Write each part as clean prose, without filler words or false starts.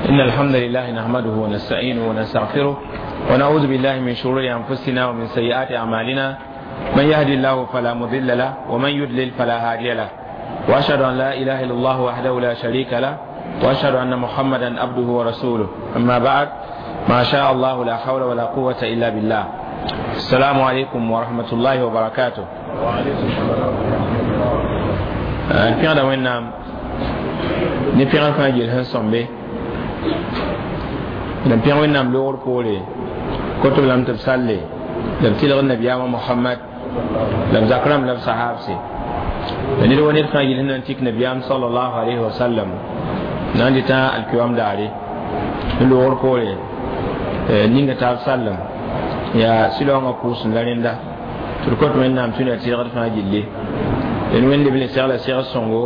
إن الحمد لله نحمده ونستعينه ونستغفره ونعوذ بالله من شرور أنفسنا ومن سيئات أعمالنا. من يهدي الله فلا مضل له ومن يضلل فلا هادي له. وأشهد أن لا إله إلا الله وحده لا شريك له وأشهد أن محمدا عبده ورسوله. أما بعد، ما شاء الله لا حول ولا قوة إلا بالله. السلام عليكم ورحمة الله وبركاته. وعليكم السلام ورحمة الله. N pẽgda Wẽnnaam ne pẽgr fãa yel sẽn sõmbe la n pẽg Wẽnnaam loogr poore kot b lame tɩ b salle la b tɩlg nabiyaamã Mohamad la b zak rãmb la b sahaabse la ned wa ned fãa yel sẽn na n tik nabiyaam salallahu alayhi wa sallam na n dɩtã alkiwam daare ne loogr poore ninga taab sallem yaa sɩlaoongã pʋʋsem la rẽnda tɩ d kõt Wẽnnaam tũ na tɩlgd fãa gilli d wẽnde b le segla seg sõngo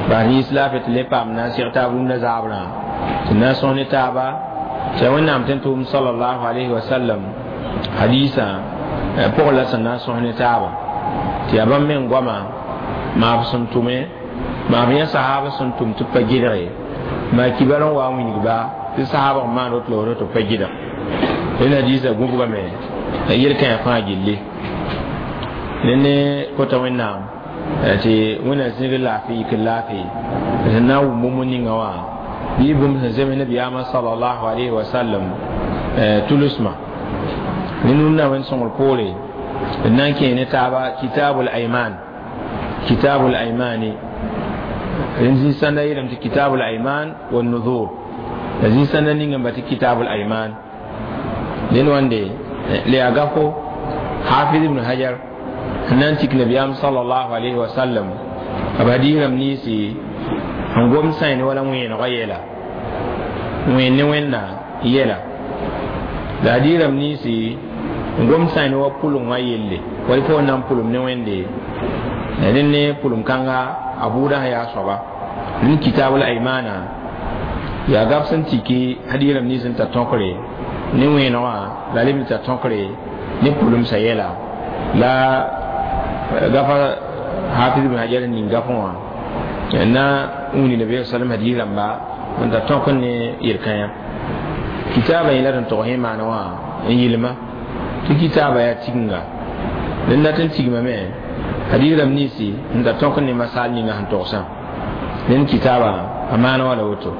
bas yĩns laafɩ tɩ le paam na n seg taab rũndã zaabrã tɩ na n sõs ne taaba tɩ yaa Wẽnnaam tɩ n tʋʋm salallahu alayhi wa sallam hadiisã pʋgẽ la sẽn na n sõs ne taaba tɩ yaa bãmb meng goama maaf sẽn tʋme maaf yã sahaab sẽn tʋm tɩ b pa gɩdge maa kibar n wa n wilgba tɩ sahaabg n maan woto la woto tɩ b pa gɩdg rẽnd hadiisã gũbgame la yel-kãyã fãa gilli rẽnd kota Wẽnnaam tɩ Wẽnnaam zĩig laafɩ yik n laafɩ sẽn na n wʋm bũmb ninga wã bɩ bũmb sẽn zems nabiyaamã salallahu alayhi wa sallam tulusmã ne nunda wẽnd sõngr poore d na n kẽe ne taaba kitabul ayman. Kitabul aymani rẽnd zĩ-sãnda yeelame tɩ kitabul ayman wa nuzur la zĩ-sãnda ninga n ba tɩ kitabul ayman dẽnd wãnde la yaa gafo Hafiz ibn Hajar sẽn na n tik nabiyaam salallahu alayhi wa sallam b hadiis rãmb ninsi n gom sãyn wala wẽenegã yɛla wẽen ne Wẽnna yɛla la hadiis rãmb ninsi n gom sãyn wa pʋlengã yelle wala fo na n pʋlem ne Wẽnde rẽnd ne pʋlem kãnga a buudã sẽn yaa soaba rẽnd kitabul aymana yaa gab sẽn tiki hadiis rãmb nins n tar tõkre ne wẽenegã la leb n tar tõkre ne pʋlemsã yɛla la gafa Hafiz ibn Hajar ning gafẽ wã na n wilg nabi sallam hadiis rãmba n tar tõk ne yel-kãyã kitaabã yẽla tɩ n tog sẽ maana wã n yɩlma tɩ kitaabã yaa tiginga rẽnd dat n tigmame hadiis rãmb ninsi n tar tõk ne masal ninga sẽn togsã rẽnd kitaabã a maana wã la woto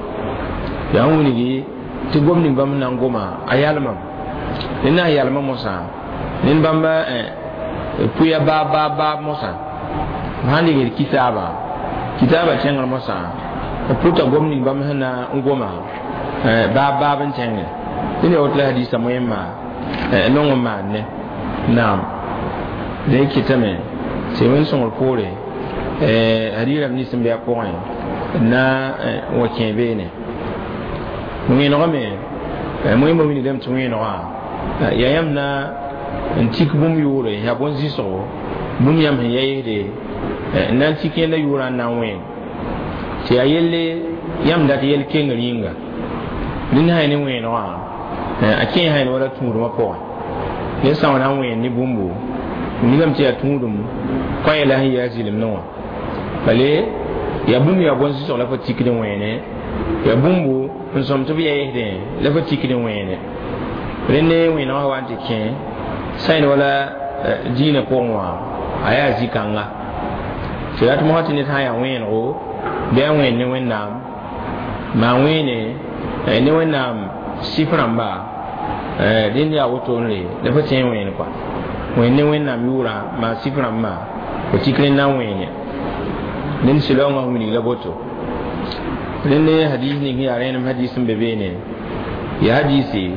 yaa n wilgi tɩ gom ning bãmb na n goma a yalmam rẽnd na n yalma mosã ned bãmba pʋya baab baab baab mosã sãn dɩgd kitaabã kitaabã kẽngr mosã b pʋta gom ning bãmb sẽn na n goma baab baab n tẽnge dẽnd yaa woto la hadiisã moẽmma nong n maan ne naam dẽ kɩtame tɩ wẽnd sõngr poore hadiis rãmb nins n be a pʋgẽ na n wa kẽ beene wẽenegã me moẽmbã wilgdame tɩ wẽenegã yaa yãmb na n tik bũmb yʋʋre yaa bõn-zɩsgo bũmb yãmb sẽn ya yesde n na n tik yẽnda yʋʋrã n na n wẽen tɩ yaa yelle yãmb dat yel kengr yĩnga rẽnd sã ne wẽenegã a kẽ sã wala tũudmã pʋgẽ ned sã n wa na n wẽen ne bũmbu nigame tɩ yaa tũudum kõ la sẽn yaa zɩlemdẽ wã bale yaa bũmb yaa bõn-zɩsg la fo tikd n wẽene yaa bũmbu n sõm tɩ b ya yesdẽ la fo tikd n wẽene rẽnd ne wẽenegã wa n tɩ kẽ sãyn wala dĩinã pʋgẽ wã a yaa zĩ-kãnga tɩ rat mosã tɩ ned sã n yaa wẽenego bɩ a wẽen ne Wẽnnaam maa wẽene ne Wẽnnaam sɩf rãmba rẽnd yaa woto n re la fo tẽ n wẽen kɔa wẽen ne Wẽnnaam yʋʋrã maa sɩf rãmbã fo tik rẽnd na n wẽene rẽnd sɩlaoongã wilg la boto rẽnd ne hadis ning yaa rẽenem hadis n be beene ya hadisi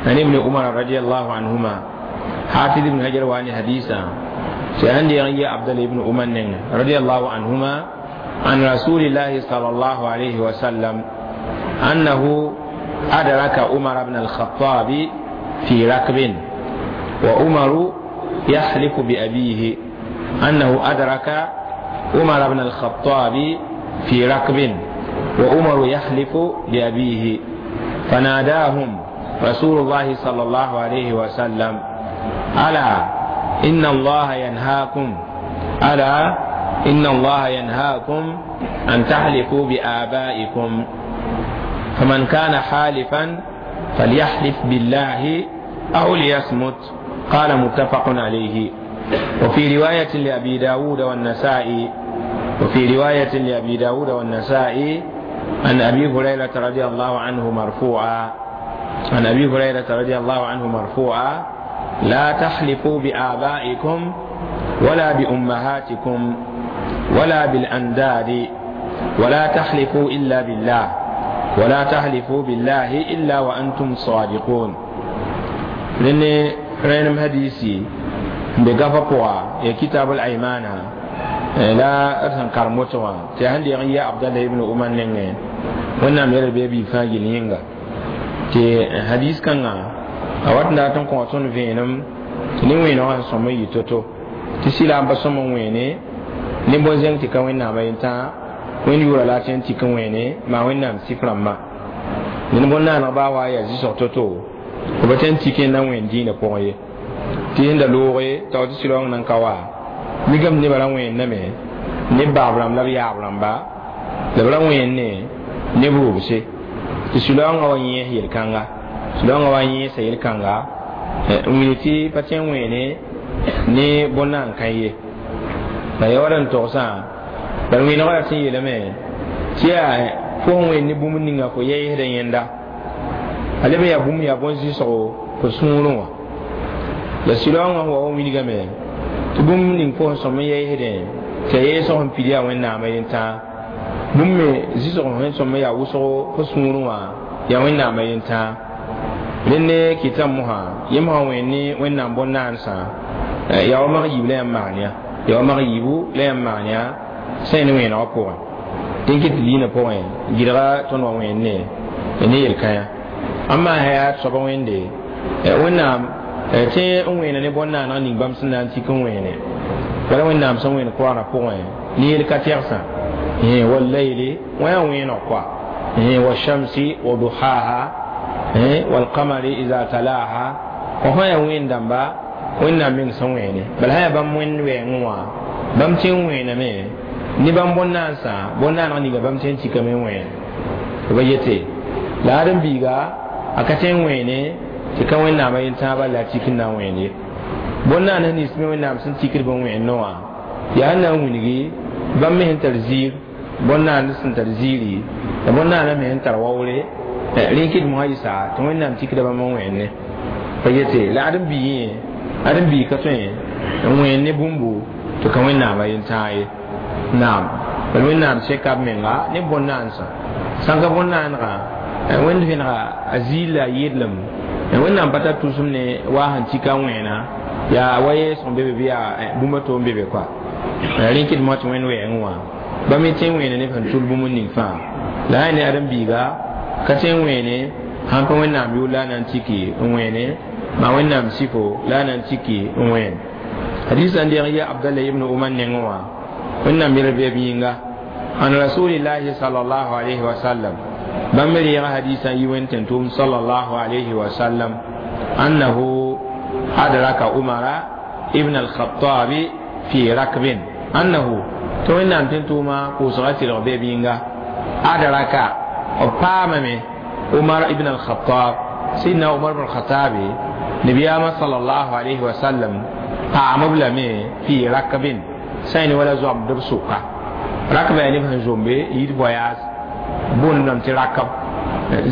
عن ابن عمر رضي الله عنهما. حافظ ابن حجر واني حديثا سيهندي يا عبد الله بن عمر رضي الله عنهما عن رسول الله صلى الله عليه وسلم أنه أدرك عمر بن الخطاب في ركب وعمر يحلف بأبيه، أنه أدرك عمر بن الخطاب في ركب وعمر يحلف بأبيه، فناداهم رسول الله صلى الله عليه وسلم: ألا إن الله ينهاكم، ألا إن الله ينهاكم أن تحلفوا بآبائكم. فمن كان حالفا فليحلف بالله أو ليصمت. قال متفق عليه. وفي رواية لأبي داود والنسائي وفي رواية لأبي داود والنسائي عن أبي هريرة رضي الله عنه مرفوعا عن أبي هريرة رضي الله عنه مرفوعا: لا تحلفوا بآبائكم ولا بأمهاتكم ولا بالأنداد، ولا تحلفوا إلا بالله، ولا تحلفوا بالله إلا وأنتم صادقون. لأن رأينا حديثي بقفقوا يا كتاب الأيمان لا أرسن كرمتوا تهندي يا عبد الله بن عمر نعم ونعم يربي بيفاجل ينغا تي حديث كان أوات ناتن كونتون فينم نيوين وان سمي يتوتو تسيلا بسمو ويني نبوزين تكوين نعم ينتا وين يورا لاتين تكويني ما وين نعم سفرما نبونا نبا وايا زيسو توتو وبتن تكين نعم وين دين بوي تين دلوري تاوتي سلوان نانكوا migam ne bara wẽnname ne baab rãmb la b yaab rãmba la b ra wẽnne ne b rʋbse tɩ sũ-laoongã wa yẽes yel-kãnga sũ-laoongã wa yẽesa yel-kãnga n wilg tɩ pa tõe n wẽene ne bõn-naan kã ye la ya wa d n togsã bala wẽnegã ra sẽn yeelame tɩ yaa fo sẽn wẽnd ne bũmb ninga fo yɛɛsdã yẽnda a leb n yaa bũmb yaa bõn-zɩsgo fo sũurẽ wã la sũ-laoongã sẽn wa wa wilgame tɩ bũmb ning fo sẽn sõm n yɛɛsdẽ tɩ a yɛɛsg sẽn pid yaa wẽnnaamã yentãag bũmb me zɩsg sẽn sõm n yaa wʋsgo fo sũurẽ wã yaa wẽnnaamã yentãag rẽnd ne kɩtã mosã yẽm sã wẽnd ne wẽnnaam bõn-naansã yaa wa mag yiib la yãmb maan ya yaa wa mag yiibu la yãmb maan ya sẽn ne wẽenegã pʋgẽ tɩ n kɩt tɩ diinã pʋgẽ gɩdga tõnd wa wẽnd ne ne yel-kãyã ãmba sã yaa soaba wẽnde wẽnnaam tẽ n wẽena ne bõn-naaneg ning bãmb sẽn na n tik n wẽene wala wẽnnaam sẽn wẽen koaarã pʋgẽ ne yel-ka tɛgsã wallayli wã yaa wẽeneg koa washamsi wa duhaha walqamari ida talaha wa sã yaa wẽen dãmba wẽnnaam meng sẽn wẽene bala sã yaa bãmb wẽnd wɛɛngẽ wã bãmb tẽ n wẽename ne bãmb bõn-naansã bõn-naaneg ninga bãmb tẽ n tikame n wẽen b yete la ad n biiga a ka tẽ n wẽene tɩ ka wẽnnaamã yentãabã la a tik n na n wẽen ye bõn-naan nins me wẽnnaam sẽn tikd bɩ n wẽen wã yaa n na n wilgi bãmb me sẽn tar ziir bõn-naan sẽn tar ziiri la bõn-naanã me sẽn tar waoore rẽ kɩt mosã yɩsa tɩ wẽnnaam tikda bãmb n wẽenne pa yete la ad n bii yẽ ad n bii ka tõe n wẽen ne bũmbu tɩ ka wẽnnaamã yentãag ye naam bala wẽnnaam seka b menga ne bõn-naansã sãn ka bõn-naanegã wẽnd vẽnega a ziir la a yɩdlem wẽnnaam pa tar tʋsem ne waa sẽn tika wẽena yaa wa yɛɛsg n be be bɩ yaa bũmb a to n be be koa rẽ kɩt mosã tɩ wẽnd wɛɛngẽ wã bãmb me tẽ n wẽene ne sẽn tul bũmb ning fãa la sã ne ãdem-biiga ka tẽ n wẽene sãn pa wẽnnaam yʋʋr la a na n tiki n wẽene maa wẽnnaam sifo la a na n tiki n wẽen hadisa n deeg n yaa abdallah ibn umar nengẽ wã wẽnnaam yel bɩ b yĩnga an rasulillahi sallallahu alayhi wa sallam bãmb me reega hadisa n yi wẽnd tẽn-tʋʋm sallallahu alayhi wa sallam annahu adraka umara ibn al-khattabi fi rakbin annahu tɩ wẽnnaam tẽn-tʋʋmã pʋʋsga tɩlg bɩ b yĩnga adraka b paamame umar ibn al-khattab sidna umar ibn al-khattabi nabiyaamã sallallahu alayhi wa sallam paam b lame fi rakbin sã ne wala zoamd b sʋka rakba yaa neb sẽn zombe yit voyage boond lame tɩ rakb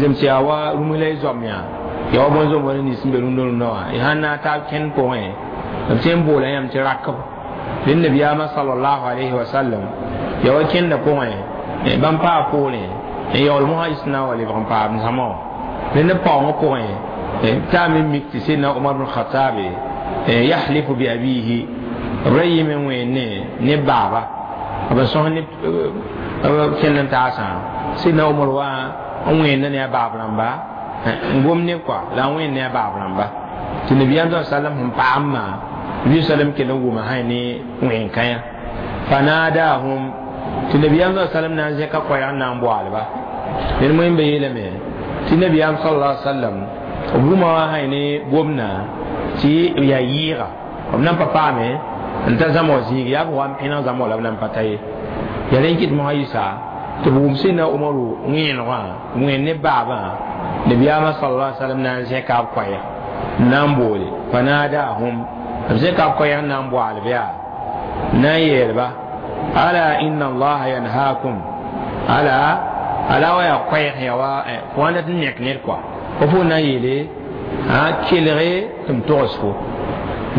zems yaa wa rũms la y zoam yaa yaa wa bõn-zomb wala nins n be rũndã rũndã wã y sãn na n taab kẽnd pʋgẽ b tõe n boola yãmb tɩ rakb rẽnd nabiyaamã sallallahu alayhi wa sallam yaa wa kẽndã pʋgẽ bãmb paa poorẽ n yaool mosã yɩs na n wa lebg n paam zãma wã rẽnd b paoongã pʋgẽ t'a me mik tɩ sidna umar bn khatabe yahlifu bi abihi b ra yɩme n wẽenne ne baaba b sõs ne kẽnd n taasã sidna umar wa n wẽenda ne a baab rãmba n gom ne koa la n wẽnd ne a baab rãmba tɩ nabiyaam sa sallam sẽn paamã nabi sallam kell n wʋma sã ne wẽn-kãyã fanadahum tɩ nabiyaam sa sallam na n zẽka koɛɛg n na n boaalba ned moẽmba yeelame tɩ nabiyaam sallallahu alaihi wasallam b wʋma wã sã ne gomdã tɩ yaa yɩɩga b nan pa paame n ta zãma wã zĩig yaa b wa n pẽneg zãma wã la b nan pa ta ye yaa rẽ n kɩt mosã yɩsa Tɩ b wʋm sẽnna Umaru wẽenegã wẽen ne baabã nabiyaamã sallallahu alaihi wasallam na n zẽka b koɛɛg n na n boole fanadahum b zẽka b koɛɛg n na n boaalb yaa na n yeelba ala inna allaha yanhaakum ala ala wa yaa koɛɛg ya wa fo wã dat n nek ned kɔa fo fo na n yeele kelge tɩ m togs fo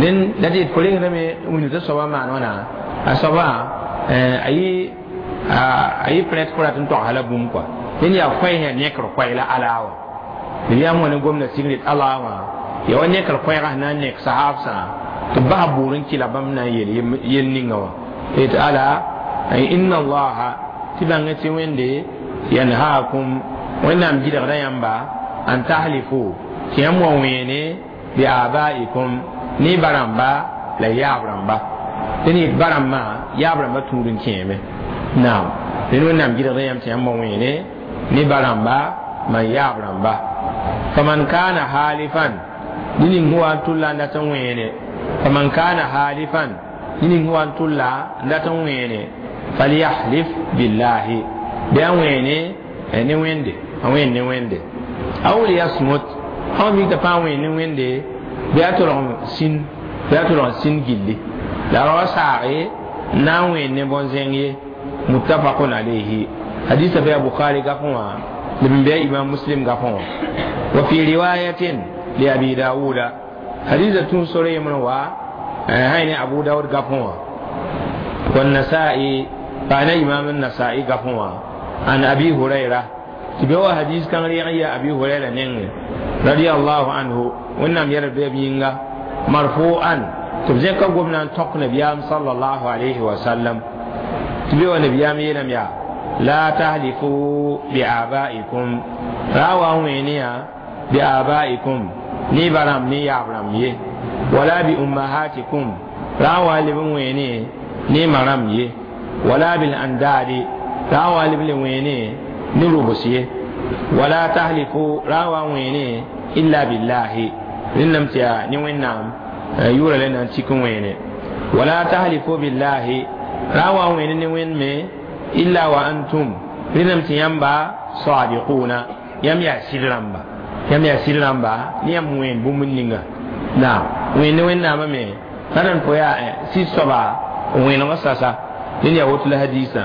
dẽn la tɩ fo rengdame wilg tɩ soabã maan wãna a soabã a yɩ prɛt fo rat n togsa la bũmb kɔa dẽn yaa koɛɛs yaa nekr koɛɛ la ala wã nabiyaam wã ne gomda sigr ala wã ya wa nekr koɛɛgã sẽn na n nek sahaabsã tɩ b bas buur n kɩla bãmb na n yeel yel ninga wã tɩ ala inna allaha tɩ bãng tɩ wẽnde yanhaakum wẽnnaam gɩdgda yãmba an tahlifu tɩ yãmb wa wẽene bi abaikum ne baramba la yaab rãmba tɩ ne barambã yaab rãmba tũud n kẽeme naam dẽn wẽnnaam gɩdgda yãmb tɩ yãmb wa wẽene ne baramba man yaab rãmba faman kana halifan ned ning sẽn wa n tʋlla n dat n wẽene faman kana halifan ned ning sẽn wa n tʋlla n dat n wẽene falyahlif billahi bɩ a wẽene ne wẽnde a wẽen ne wẽnde aw liyasmut sã mik t'a pãa wẽen ne wẽnde bɩ a tolg sĩn bɩ a tolg sĩn gilli la ra wa saage n na n wẽen ne bõn-zẽng ye muttafaqun alayhi hadisa bɩ a bukhari gafẽ wã lb n bɩ a imam muslim gafẽ wã wa fi riwayatin li abi dawuda hadisa tũ sore yembre wa sã ne abu dawud gafẽ wã والنسائي فأنا إمام النسائي قفوا عن أبي هريرة تبوا حديث كان ريا أبي هريرة نين رضي الله عنه ونم يرد بيبينغا مرفوعا تبزين كقومنا تق نبيام صلى الله عليه وسلم تبوا نبيام ينم يا لا تهلكوا بآبائكم راوا وينيا بآبائكم ني برام ني يابرام يه ولا بأمهاتكم راوا لبن ويني ne maram ye wala bil andadi rawa lible wene ni rubus ye wala tahlifu rawa wene illa billahi rinnam tiya ni wennam yura le nan cikin wene wala tahlifu billahi rawa wene ni wen me illa wa antum rinnam tiyamba sadiquna yam ya sirramba yam ya sirramba ni yam wen bumun ninga na wen wennam me taran ko ya si soba wẽneg sasa dẽn yaa woto la hadiisã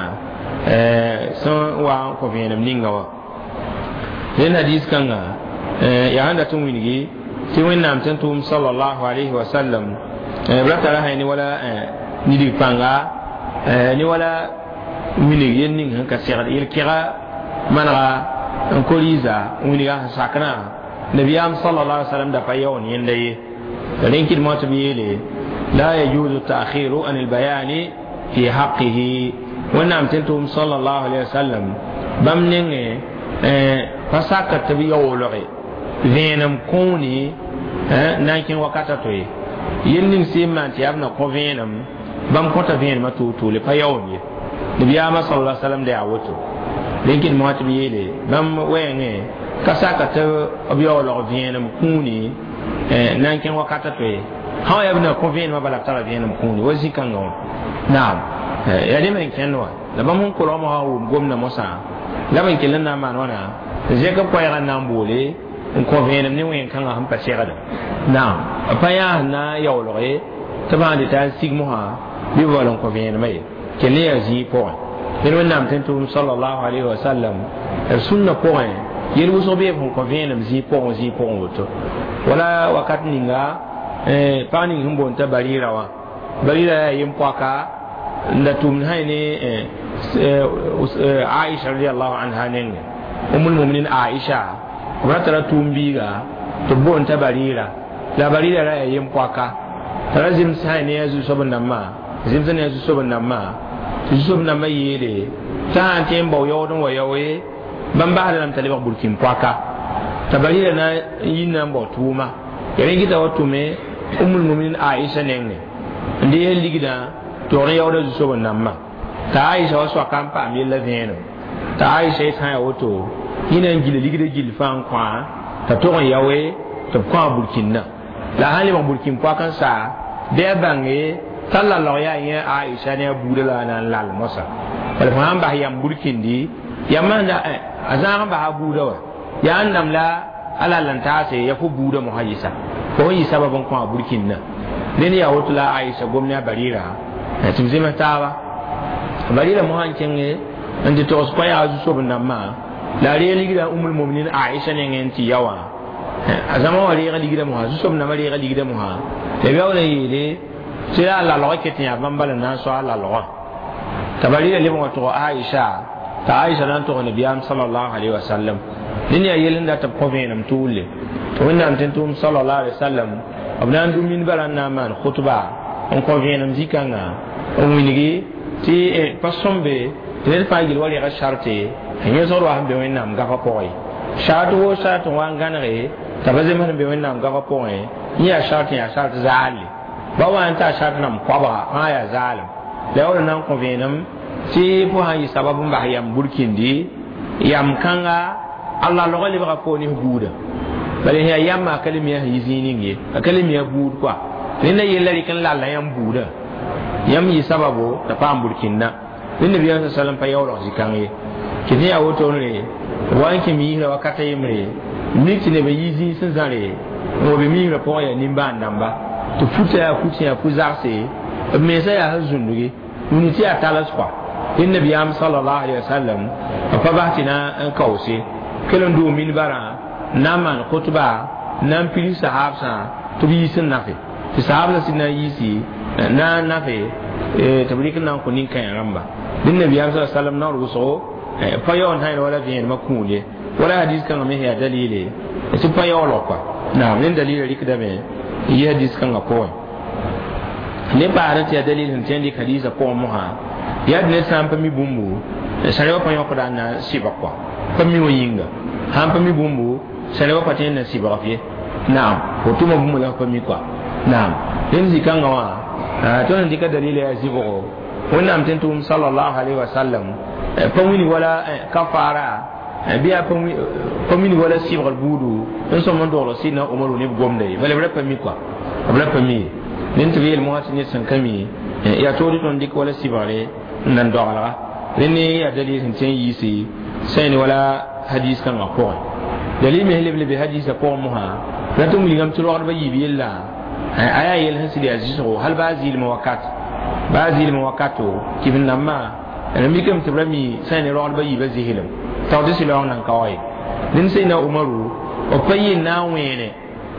sẽn wa n kõ vẽenem ninga wã dẽn hadiis kãnga yaa sẽn dat n wilgi tɩ wẽnnaam tẽn tʋʋm salallahu alayhi wa sallam b ra tara sã ne wala nidg pãnga ne wala wilg yel ning sẽn ka segd yel-kɛga manega n ko-rɩɩsa wilga sẽn sakrã nabiyaam salallahu alaihi wa sallam da pa yaoon yẽnda ye rẽn kɩdmã tɩ b yeele لا يجوز التأخير عن البيان في حقه ونعم تنتم صلى الله عليه وسلم بمنين فساكت بيولغي ذينم كوني نانكين وكاتاتوي يلين سيما انت يابنا كو ذينم بام كوتا ذين ما توتو لفيوني نبي آما صلى الله عليه وسلم دعوته لكن ما تبيلي بام وين كساكت بيولغ ذينم كوني نانكين وكاتاتوي hã yaa b na kõ vẽenemã bala b tara vẽenem kũuni wa zĩ-kãngã wã naam yaa rẽ me n kẽnd wã la bãmb sẽn kolgmã wã wʋm gomda mosã la b n kell n na n maan wãna zẽk b koɛɛgã n na n boole n kõ vẽenem ne wẽn-kãngã sẽn pa segda naam b pa yaa sẽn na n yaoolge tɩ b sã n dɩta n sig mosã bɩ b wall n kõ vẽenemã ye kell ne yaa zĩig pʋgẽ ned wẽnnaam tẽn tʋʋm salallahu alayhi wa sallam b sũnna pʋgẽ yel wʋsg bee b sẽn kõ vẽenem zĩig pʋgẽ woto wala wakat ninga pag ning sẽn boond t'a barira wã barira yaa yem-poaka n da tʋmd sã ne aisha radiallahu anha nengẽ umul muminin aisha b ra tara tʋʋm biiga tɩ b boond t'a barira la barira ra yaa yem-poaka t'a ra zems sã ne a zu-soab nambã zems ne a zu-soab nambã tɩ zu-soab nambã yeele t'a sã n tõe n bao yaood n wa yao ye bãmb basda lame t'a lebg burkin-poaka t'a barira na n yi na n bao tʋʋma ya rẽ gɩta wa tʋme umul muminin aisha nengẽ n dees ligdã tog n yaooda zu-soab nambã t'a aisha wa soaka n paam yella vẽenem t'a aisha yet sã yaa woto yẽ na n gila ligdã gill fãa n kõa t'a tog n yaoe tɩ b kõa burkĩndã la sã n lebg burkĩn poak n saa bɩ a bãnge t'a lalg yaa yẽ aisha ne a buudã la a na n lal mosã bala fo sã n bas yam burkĩndi Yãmb a zãag n basa a buudã wa yaa n namla a lal n taase ya fo buudã mosã yɩsa fo sẽn yɩ sabab n kõ a burkĩndã ned yaa woto la Aisha gom ne a Barira tɩ b zems taaba Barira mosã n kẽnge n tɩ togs koɛɛga zu-soab-dãmbã la a reeg ligdã Umul Muminin Aisha nengẽ n tɩ ya wã a zãma wã reega ligdã mosã zu-soab-dãmbã reega ligdã mosã la b yaool n yeele tɩ la a lalgã ket n yaa bãmb bala n na n sao a lalgã t'a Barira leb n wa tog Aisha t'a Aisha na n tog nabiyaam sallallahu alaihi wasallam ned yaa yell n dat b kõ vẽenem tʋʋle tɩ Wẽnnaam tɩ n tʋʋm sallallahu alaihi wasallam b na n dũ minbarã n na n maan khutba n kõ vẽenem zĩ-kãngã n wilgi tɩ pa sõmbe tɩ ned fãa yel wa rega sarte n yẽsgd wa sẽn be Wẽnnaam gafã pʋgẽ sart woo sart n wa n gãnege t'a pa zems n be Wẽnnaam gafã pʋgẽ yẽ yaa sart n yaa sart zaalle ba wa n taa sart nam koabga fãa yaa zaalem la yaool n na n kõ vẽenem tɩ fo sã n yɩ sabab n bas yam burkindi yam kãnga Allah lɔgɔ lebga fo ne buuda bala yaa yãmba a ka le mi a sẽn yɩ zĩig ning ye a ka le mi a buud kɔa rẽnda yella rɩk n lalla yãmb buudã yãmb yɩ sababo t'a paam burkĩndã rẽnd nabiyaam sa sallam pa yaoolg zĩ-kãng ye tɩ tɩ yaa wotone wa n kẽ miisrã wakata yembre mik tɩ neb n yi zĩig sẽn zãre n wa be miisrã pʋgẽ yaa nimbãan-dãmba tɩ futã yaa fut yaa fu-zagse b mensã yaa sẽn zũndugi wini tɩ yaa tals kɔa rẽnd nabiyaam sallallahu alaihi wasallam b pa bas tɩ na n kaoose kell n doo minbarã n na n maan khutba n na n pids sahaabsã tɩ b yiis n nafe tɩ sahaabsã sɩd na n yiisi na n nafe tɩ b rɩk n na n kõ nin-kãens rãmba dẽn nabiyaam sa sallam naoor wʋsgo pa yaool sã wala vẽenemã kũud ye wala hadis kãngã me yaa dalile tɩ pa yaoolg kɔa naam ned dalila rɩkdame n yɩ hadis kãngã pʋgẽ ne paasd tɩ yaa dalil sẽn tõe n dɩk hadisã pʋgẽ mosã yaa ned sã n pa mi bũmbu sã pa yõkda n na n sɩbg kɔa pa mi wã yĩnga sãn pa mi bũmbu sã pa tõe n na sɩbg f ye naam fo tʋma bũmb la f pa mi kɔa naam rẽnd zĩ-kãngã wã tõnd sẽn dɩka dalila yaa zɩbgo Wẽnnaam tɩ n tʋʋm sallallahu alaihi wasallam pa wini wala kafara bɩ yaa pa wini wala sɩbgr buudu n sõm n dogl sɩdna Omaru ne b gomda ye bala b ra pa mi kɔa b ra pa mi ye ned tɩ b yeel mosã tɩ ned sẽn ka mi yaa tood tõnd dɩk wala sɩbgre n nan dogelga rẽnd yaa dalil sẽn tõe n yiisi sẽn wala hadis kãngã pʋgẽ dalil me leb lebe hadisã pʋgẽ mosã rat n wilgame tɩ rogdbã yiib yella a yaa yel sẽn sɩd yaa zɩsgo hal baa zɩɩlmã wakat baa zɩɩlmã wakato tɩ b nambã d mikame tɩ b ra mi sã ne rogdbã yiibã zɩslem tao tɩ sɩlaoong nan ka wa ye dẽnd sẽna Umaru b pa yɩ n na n wẽene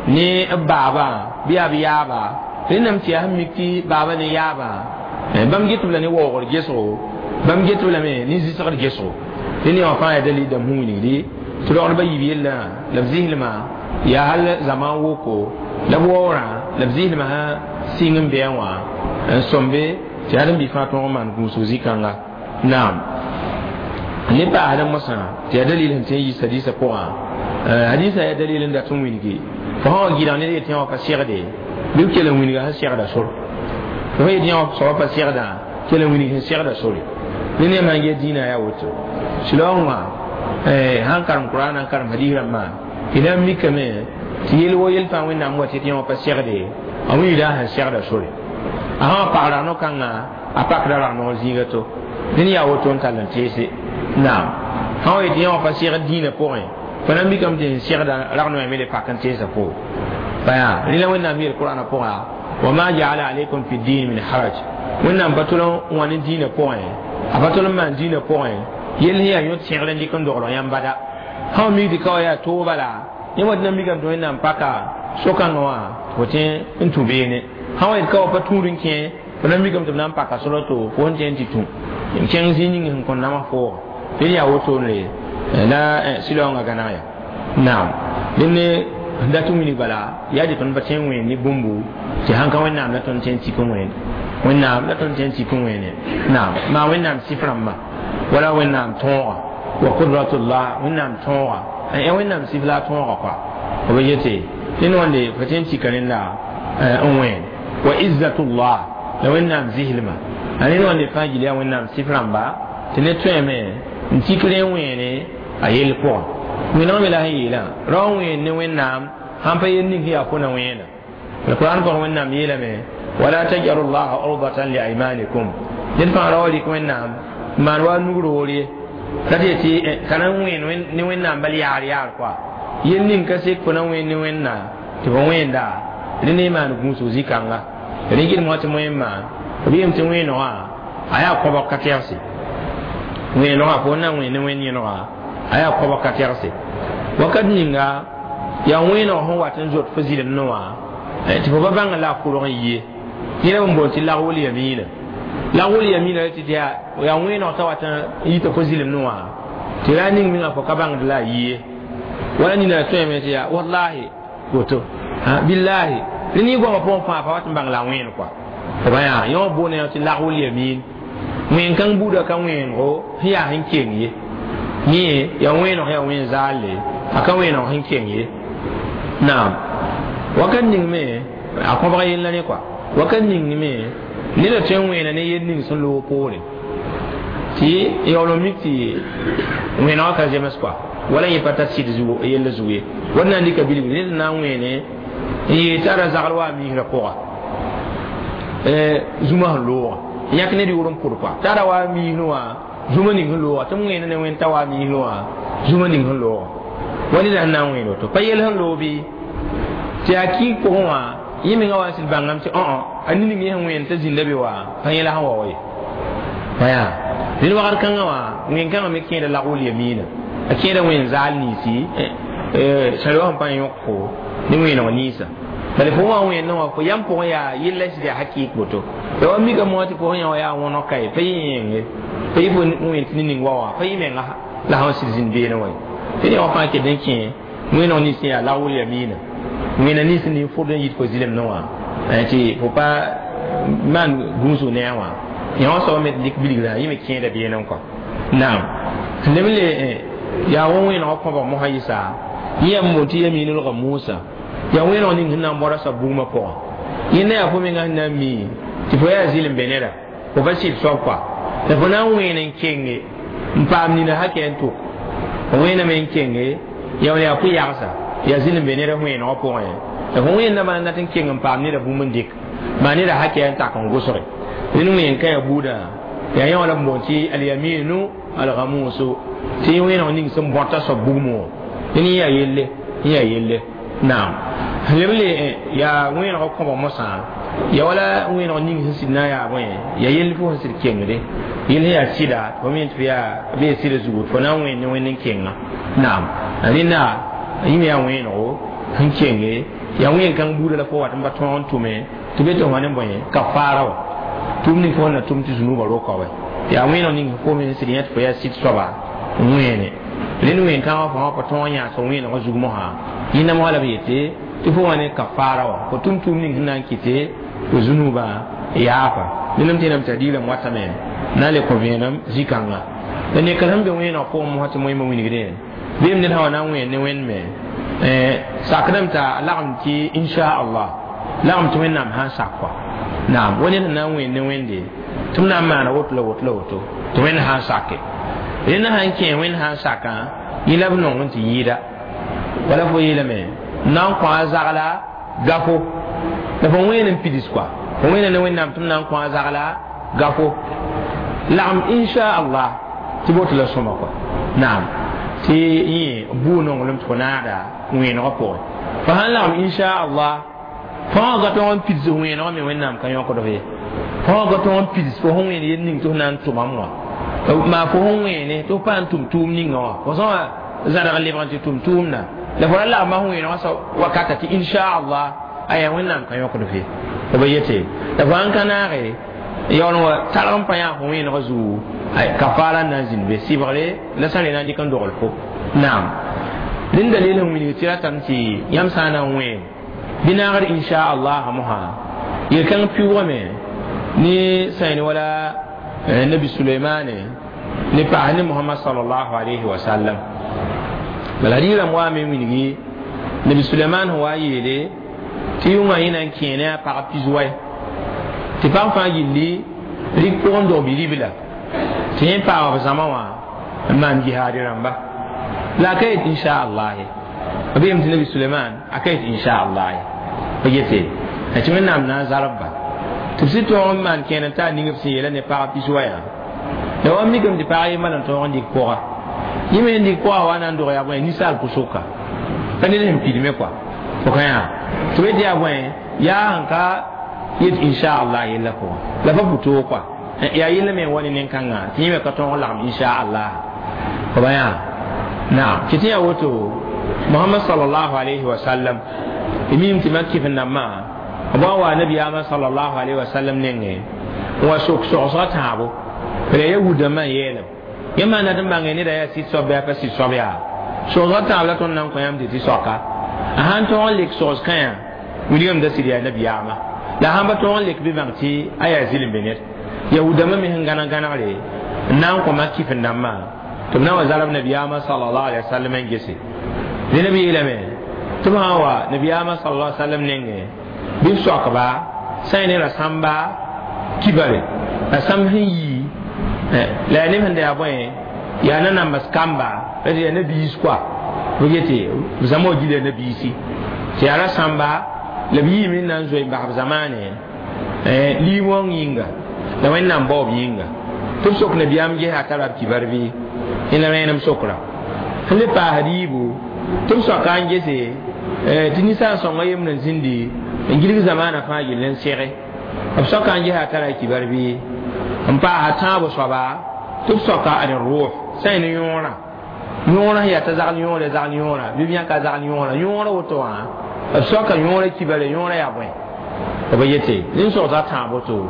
ne b baabã bɩ yaa b yaaba rẽndame tɩ yaa sẽn mik tɩ baabã ne yaabã bãmb get b la ne waoogr gesgo bãmb get b lame ne zɩsgr gesgo rẽnd wã fãa yaa dalil dãmb sẽn wilgdi tɩ rogdbã yiib yellã la b zɩslmã yaa hal zaman woko la b waoorã la b zɩslmã sã sɩng n bɩa wã n sõmbe tɩ yaa d n bɩ fãa tõog n maan gũusg zĩ-kãnga naam ne paasd mosã tɩ yaa dalil sẽn tõe n yiis hadisã pʋgã hadisã yaa dalil n dat n wilgi fo sã wa gɩdg ned yetɩ wã pa segde bɩ b kell n wilga sẽn segda sor fo yetɩ wã soaba pa segdã kell n wilg sẽn segda sore ne yãmb sãn get dĩinã yaa woto sɩlaoong wã sãn karem Kuraan n karem hadis rãmbã y na n mikame tɩ yel wo yel fãa Wẽnnaam wa tɩ yã wã pa segde a wilgda sẽn segda sore a sã wa pag ragno-kãngã a pakda ragnog zĩiga to ned yaa woto n tall n teese naam sã wa yetɩ yã wã pa segd dĩinã pʋgẽ fo na n mikame tɩ sẽn segda ragnoɛ me le pak n teesa fo baya rẽ la Wẽnnaam yeel Kurãnã pʋga wa ma jaala alaykum fi din min haraj Wẽnnaam pa tʋl n wa ne dĩinã pʋgẽ a pa tʋl n maan dĩinã pʋgẽ yell sẽn yaa yõt segr n dɩk n dogl yãmb bada sã wa mik tɩ ka wa yaa toog bala yẽ wa tɩ na n mikame tɩ Wẽnnaam paka so-kãngã wã fo tõe n tũ beene sã wa yet ka wa pa tũud n kẽ fo na n mikame tɩ b na n paka sor to fo sẽn tõe n tɩ tũ n kẽng zĩig ning sẽn kõn nams fooga tɩ yaa wotone la sɩlaoongã gãneg ya naam dẽnd dat n wilg bala yaa tɩ tõnd pa tõe n wẽen ne bũmbu tɩ sãn ka Wẽnnaam la tõnd tõe n tik n wẽene Wẽnnaam la tõnd tõe n tik n wẽene naam maa Wẽnnaam sɩf rãmbã wala Wẽnnaam tõoga wa qudratullah Wẽnnaam tõoga Wẽnnaam sɩf la a tõoga kɔa b yete ned wãnde fa tõe n tika rẽnda n wẽen wa izzatullah la Wẽnnaam zɩslmã a ned wãnde fãa gil yaa Wẽnnaam sɩf rãmba tɩ ned tõeme n tik rẽ n wẽene a yell pʋgẽ wẽneg me la sẽn yeelã rao n wẽen ne Wẽnnaam sãn pa yel ning sẽn yaa fo na wẽena alquran pʋgẽ Wẽnnaam yeelame wala tajalu llaha urdatan li aymanikum ned fãa ra wa rɩk Wẽnnaam n maan wa nug roor ye T'a tɩ t'a na n wẽen ne Wẽnnaam bal yaar yaar kɔa yel ning ka sek fo na wẽen ne Wẽnnaam tɩ fo wẽnda rẽ ne maan gũusg zĩ-kãnga rẽ gɩdem wã tɩ wẽmma b yeem tɩ wẽenegã a yaa kõbg ka tɛgse wẽenegã fo na n wẽen ne wẽnd yẽnega a yaa kõbg ka tɛgse wakat ninga yaa wẽeneg sẽn wat n zot fo zɩlemdẽ wã tɩ fo pa bãng la a kʋrg n yie yẽla b n boond tɩ lagwl yamiina lagwl yamiina la tɩ yaa wẽeneg t'a wat n yita fo zɩlemdẽ wã tɩ ra ning mengã fo ka bãngd la a yie wala nina tõeme tɩ yaa wallahi woto billahi rẽ ne goamã pʋgẽ fãa pa wat n bãng la a wẽen kɔa b yaa yõ boone tɩ lagwl yamin wẽn kãng buudã ka wẽenego sẽn yaa sẽn keng ye yẽ yaa wẽeneg yaa wẽn zaalle a ka wẽeneg sẽn keng ye naam wakat ning me a kõbg yella ne kɔa wakat ning me neda tõe n wẽena ne yel ning sẽn loog poore tɩ yaool n mik tɩ wẽenegã ka zems kɔa wala yẽ pa tar sɩd yella zug ye wat na n dɩka bilgre ned na n wẽene n yee t'a ra zagl wa a miisrã pʋga zũma sẽn looga yãk ned yʋʋr n pʋd kɔa t'a ra wa a miisrẽ wã zũma ning sẽn looga tɩ m wẽena ne wẽnd t'a wa a miisrẽ wã zũma ning sẽn looga wa neda sẽn na n wẽen woto pa yel sẽn loog bɩ tɩ yaa kɩɩg pʋgẽ wã yẽ mengã wa n sɩd bãngame tɩ õ a ning yẽ sẽn wẽen t'a zĩnda be wã pa yẽla sẽn wa wa ye pa yaa rẽnd wagd kãngã wã wẽn-kãngã me kẽeda lagl yamiina a kẽeda wẽn zaal ninsi sã sẽn pa yõk fo ne wẽeneg ninsã bala fo wã wẽndẽ wã fo yam pʋgẽ yaa yella sɩd yaa hakɩɩk woto ya wa mikame wã tɩ fo sẽn yã wã yaa wõneg ka ye pa yẽ yẽnge pa yɩ fo wẽn tɩ ne ning wa wã pa yɩ menga la sẽn sɩd zĩnd beene wã ye tɩ yã wã fãa ket n kẽ wẽneg nins yaa lagl yamiina wẽna nins nin fʋd n yit fo zɩlemdẽ wã tɩ fo pa maan gũusg ne a wã yã wã soaba me tɩ dɩk bilgrã yẽ me kẽeda beene n kɔ naam leb n le yaa wa wẽenegã kõbg mosã yɩsa yẽ yaa n boond tɩ yamiinlga Musa yaa wẽeneg ning sẽn na n bõda soab bugmã pʋgã yẽnda yaa fo menga sẽn na n mi tɩ fo yaa zɩlem be neda fo pa sɩd soab kɔa la fo na n wẽen n kenge n paam nina hakɛ n tʋk fo wẽename n kenge yaa yaa pʋ-yagsa yaa zɩlem be neda wẽenegã pʋgẽ la fo wẽendã maan dat n keng n paam neda bũmb n dɩk maa neda hakɛ n tak n gʋsge rẽnd wẽen ka yaa buudã yaa yã wã la b boond tɩ alyaminu algamusu tɩ wẽeneg ning sẽn bõta soab bugmã wã rẽnd yaa yelle yaa yelle naam leb le yaa wẽenegã kõbg mosã ya wala wẽeneg ning sẽn sɩd na n yaa bõe yaa yell fo sẽn sɩd kengde yell sẽn yaa sɩda fo me tɩ yaa b yaa sɩda zugu fo na n wẽen ne wẽnd n kenga naam rẽnda yẽ me yaa wẽenego sẽn kenge yaa wẽen-kãng buudã la fo wat n pa tõog n tʋme tɩ be tɩ fo ne bõe kafaara wã tʋm ning fo na tʋm tɩ zũnubã roka wa yaa wẽeneg ning fo me sẽn sɩd yẽ tɩ fo yaa sɩd soaba n wẽene rẽnd wẽn-kãngã fo pa tõog n yãas wẽenegã zug mosã yẽnda mosã la b yete tɩ fo wa ne kafaara wã fo tʋm tʋʋm ning sẽn na n kɩte fo zũnubã yaafa nẽnam tẽename tɩ a diilame watame na n le kõ vẽenem zĩ-kãnga la neka sẽn be wẽeneg pʋgẽ mosã tɩ moẽmã wilgdẽ beem ned sã wa na n wẽen ne wẽnd me sakdame t'a lagem tɩ inshaallah lagem tɩ Wẽnnaam sã n sak kɔa naam wa ned sẽn na n wẽen ne wẽnde tɩ m na n maana woto la woto la woto tɩ Wẽnd sã n sake rẽnd sã n kẽ Wẽnd sã n sakã yẽ la b nong n tɩ yɩɩda wala fo yeelame n na n kõ a zagla gafo la fo wẽen n pids kɔa fo wẽena ne Wẽnnaam tɩ m na n kõ a zagla gafo lagem inshaallah tɩ boto la sõma kɔa naam tɩ yẽ buu nonglem tɩ fo naagda wẽenegã pʋgẽ fo sãn lagem inshaallah fãa ga tõog n pids wẽenegã me Wẽnnaam ka yõkd f ye fãa ga tõog n pids fo sẽn wẽen yel ning tɩ f na n tʋmam wã maa fo sẽn wẽene tɩ f pa n tʋm tʋʋm ninga wã fo sã wã zãrg lebg n tɩ tʋm tʋʋmda la fo ra lagma sẽn wẽenegã sa wakata tɩ inshaallah aya Wẽnnaam ka yõkd f ye fo ba yete la fo sãn ka naage yaool wa targ n pa yã fo wẽenegã zugu kafaara n na n zĩnd be sɩbgre la sã n re na n dɩk n dogl fo naam rẽnd dalil sẽn wilg tɩ ratame tɩ yãmb sã n na n wẽen bɩ naagd inshaallah mosã yel-kãng pɩʋʋgame ne sãen wala nabi Suleimane ne paas ne Mohamad salallahu alayhi wa sallam bala rɩɩrãmb waame n wilgi nabi Suleiman sẽn wa yeele tɩ yʋngã yẽ na n kẽe ne a pag pis-wɛ tɩ pag fãa gilli rik pʋgẽ dog bi-ribla tɩ yẽ paama b zãma wã n maan jihaad rãmba la a ka yet inshaallah ye b yeem tɩ nabi Suleiman a ka yet inshaallah ye b yete tɩ Wẽnnaam na n zarb ba tɩ b sɩd tõog n maan kẽen n taa ning b sẽn yeela ne pag pis-wɛ yã La wa mikame tɩ pag yembã n tõog n dɩk pʋga yẽ me n dɩk pʋga wa na n dog yaa bõe ninsaal pʋsʋka ka ned sẽn pidme kɔa fo ka yã tɩ b tɩ yaa bõe yaa sẽn ka yet inchallah yella pʋgã la pa pʋ-toog kɔa yaa yella me n wa ne nen-kãngã tɩ yẽ me ka tõog n lagem inchallah fo ba yã naam tɩ tɩ yaa woto Muhammad sallallahu alayhi wa sallam mim tɩ mak kɩf n nambã b wa wa nabiyaamã sallallahu alayhi wa sallam nengẽ n wa sok sogsga tãabo la yahudãmbã n yeelem yẽ maanda tɩ n bãnge neda yaa sɩd soab bɩ a pa sɩd soab yaa sogsga tãab la tõnd na n kõ yãmb tɩ tɩ soaka a sãn tõog n lek sogs-kã yã wilgame da sɩd yaa nabiyaamã la sãn pa tõog n lek bɩ bãng tɩ a yaa zɩlembe ned yahudãmbã me sẽn gãneg gãnegre n na n kõ mak kɩf n dãmbã tɩ b na wa zarb nabiyaamã sallallahu alaihi wa sallam n gese dẽna b yeelame tɩ b sã n wa nabiyaamã sallallahu alaihi wa sallam nengẽ bɩ b soakba sã n ne rasãmba kibare rasãmb sẽn yi la yaa neb sẽn da yaa bõe yaa nanambs kamba la tɩ yaa nabiis koa b yete b zãma wa gila nabiisi tɩ yaa rasãmba la b yiime n na n zoe n bas b zamaane liig-wãng yĩnga la wẽnnaam baoob yĩnga tɩ b sok nabiyaam gesa a tara b kibar bɩ yẽ la rẽenem sokra sẽn le paasd yiibu tɩ b soaka n gese tɩ ninsaal sõnga yembr n zĩndi n gilg zamaanã fãa yell n sege b soaka n gesa a tara a kibar bɩ n paasa tãabo soaba tɩ b soaka ad rʋʋs sã n ne yõorã yõorã sẽn yaa t'a zagl yõore zagl yõorã bɩ b yãka zagl yõorã yõorã woto wã b soaka yõorã kibare yõorã yaa bõe b yete nin sogsga tãab woto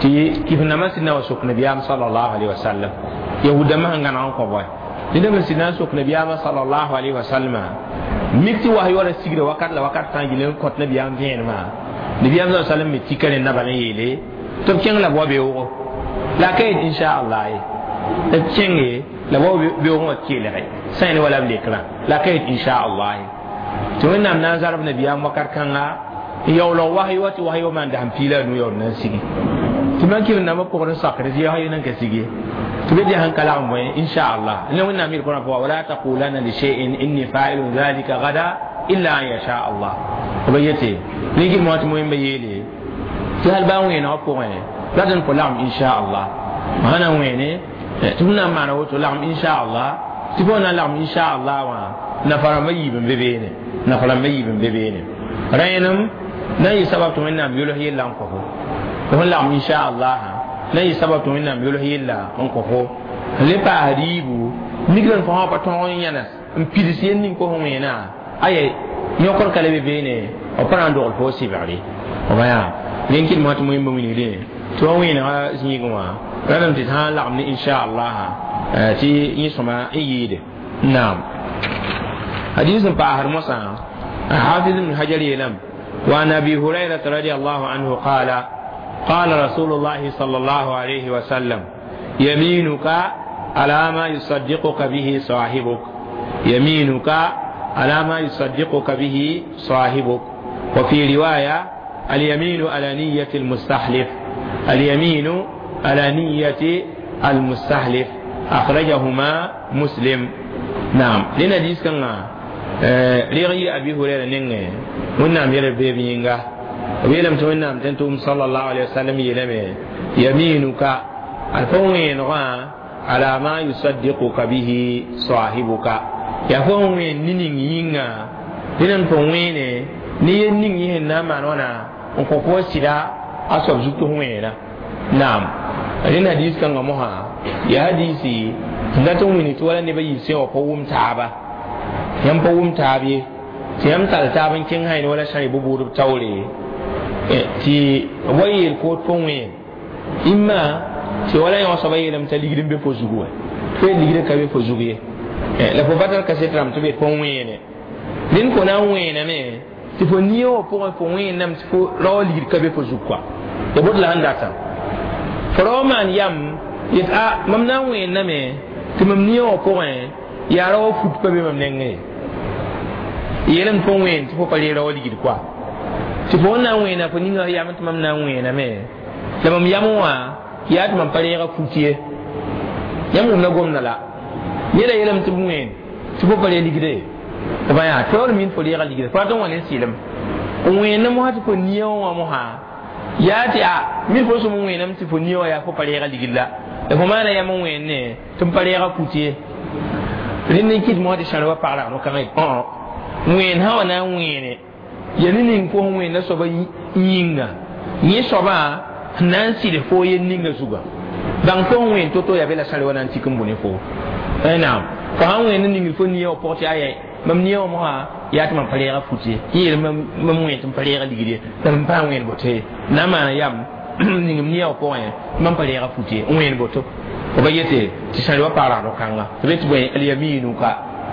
tɩ kɩf-nambã sɩd na wa sok nabiyaam sallallahu alaihi wasallam yahudãmbã sẽn gãneg n kõ bõe ned me sɩd na n sok nabiyaamã sallallahu alaihi wasallam mik tɩ was yaoora sigra wakat la wakat fãa gil n kõt nabiyaam vẽenemã nabiyaam sa sallam me tika ne naba n yeele tɩ b kẽng la b wa beoogo la ka yet inchallah ye b kẽnge la b wa beoogẽ wã kelge sã n ne wala b lekrã la ka yet inchallah ye tɩ wẽnnaam na n zarb nabiyaam wakat kãnga n yaoolg was wa tɩ was wa maan dasem piila a nu yaool na n sigi tɩ man kɩf nambã pʋgd n sakd tɩ was nan ka sigi tɩ b sẽn ka lagem bõe inchallah la wẽnnaam yel kõ pʋga wala taqulanna li shay'in inni fa'ilun dhalika gada illa an yasha allah b yete rẽn kɩt tɩ moẽmba yeele tɩ hal baa wẽenegã pʋgẽ rat n kõ lagem inchallah sã na n wẽene tɩ f na n maana woto lagem inchallah tɩ fo na n lagem inchallah wã nafa-rãmbã yiib n be beene nafa-rãmbã yiib n be beene rẽenem na n yɩ sabab tɩ wẽnnaam yols yella n kõ fo fo sẽn lagem inchallah na n yɩ sabab tɩ wẽnnaam yols yella n kõ fo n le paasd yiibu mikr n fo sã pa tõog n yãnas n pids yel ning kos wẽenã aya yõkr ka le be beene b pa na n dogl fo sɩbgre b yaa rẽn kɩt mosã tɩ moẽmba wilgdẽ tɩ wa wẽenegã zĩigẽ wã rãdame tɩ sã n lagem ne inchallah tɩ yẽ sõma n yɩɩde naam hadis n paasd mosã حافظ بن حجر يلم وعن ابي هريره رضي الله عنه قال قال رسول الله صلى الله عليه وسلم يمينك على ما يصدقك به صاحبك يمينك على ما يصدقك به صاحبك وفي رواية اليمين على نية المستحلف اليمين على نية المستحلف أخرجهما مسلم نعم لنا ديس كان ريغي أبي هريرة نينغ ونعم يرى بيبي ينغا ويلم تمنى تنتم صلى الله عليه وسلم يلم يمينك الفوين على ما يصدقك به صاحبك يا فوين نينغ ينغا لنن فوين ni ye ning yi na man wana n kõ fo sɩda a soab zug tɩ wẽena naam rẽnd hadis kãngã mosã yaa hadisi sẽn dat n wĩni tɩ wala nebã yiib sẽ wã pa wʋm taaba yãmb pa wʋm taab ye tɩ yãmb tall taab n kẽng sã wala sã b taoore tɩ wa yeel koot fo wẽen imma tɩ wala yõ soaba yeelame t'a ligd n be fo zugu wã fo yel ligdã ka be fo zug ye la fo pa tar kaset rãmb tɩ b yet fo wẽene rẽnd fo na n wẽename tɩ fo nia wã pʋgẽ fo wẽenname tɩ fo rao ligd ka be fo zug kɔa ya bot la sẽn datã fo rao maan yam yet a mam na n wẽenname tɩ mam nia wã pʋgẽ yaa rao fut pa be mam nengẽ ye yeelame fo wẽen tɩ fo pa ree rao ligd kɔa tɩ fo na n wẽena fo ninga yam tɩ mam na n wẽename la mam yam wã yaa tɩ mam pa reega fut ye yãmb wʋmda gomda la neda yeelame tɩ b wẽen tɩ fo pa ree ligde b yaa taoor min fo reega ligde fo rat n wa ne sɩlem n wẽennã mosã tɩ fo nia wã mosã yaa tɩ a min fo sẽm n wẽename tɩ fo nia wã yaa fo pa reega ligd la La fo maana yam n wẽnne tɩ m pa reega put ye rẽnd n kɩt mosã tɩ sãr wa pag rag no-kãngã wẽen sã wa na n wẽene ya ne ning fo sẽn wẽnda soaba yĩnga yẽ soabã sẽn na n sɩds fo yel ninga zuga bãng fo sẽn wẽen to-to yaa be la sãr wa na n tik n bũ ne fo naam fo sãn wẽnd n ningd fo nia wã pʋgẽ tɩ aya mam nia wã mosã yaa tɩ mam pa reega fut ye yẽ yeel mam wẽen tɩ m pa reega ligd ye la m pa wẽen boto ye na n maana yam ningm nia wã pʋgẽ mam pa reega fut ye n wẽen boto fo ba yete tɩ sãr wa pag rag no-kãnga tɩ be tɩ bõe alyaminuka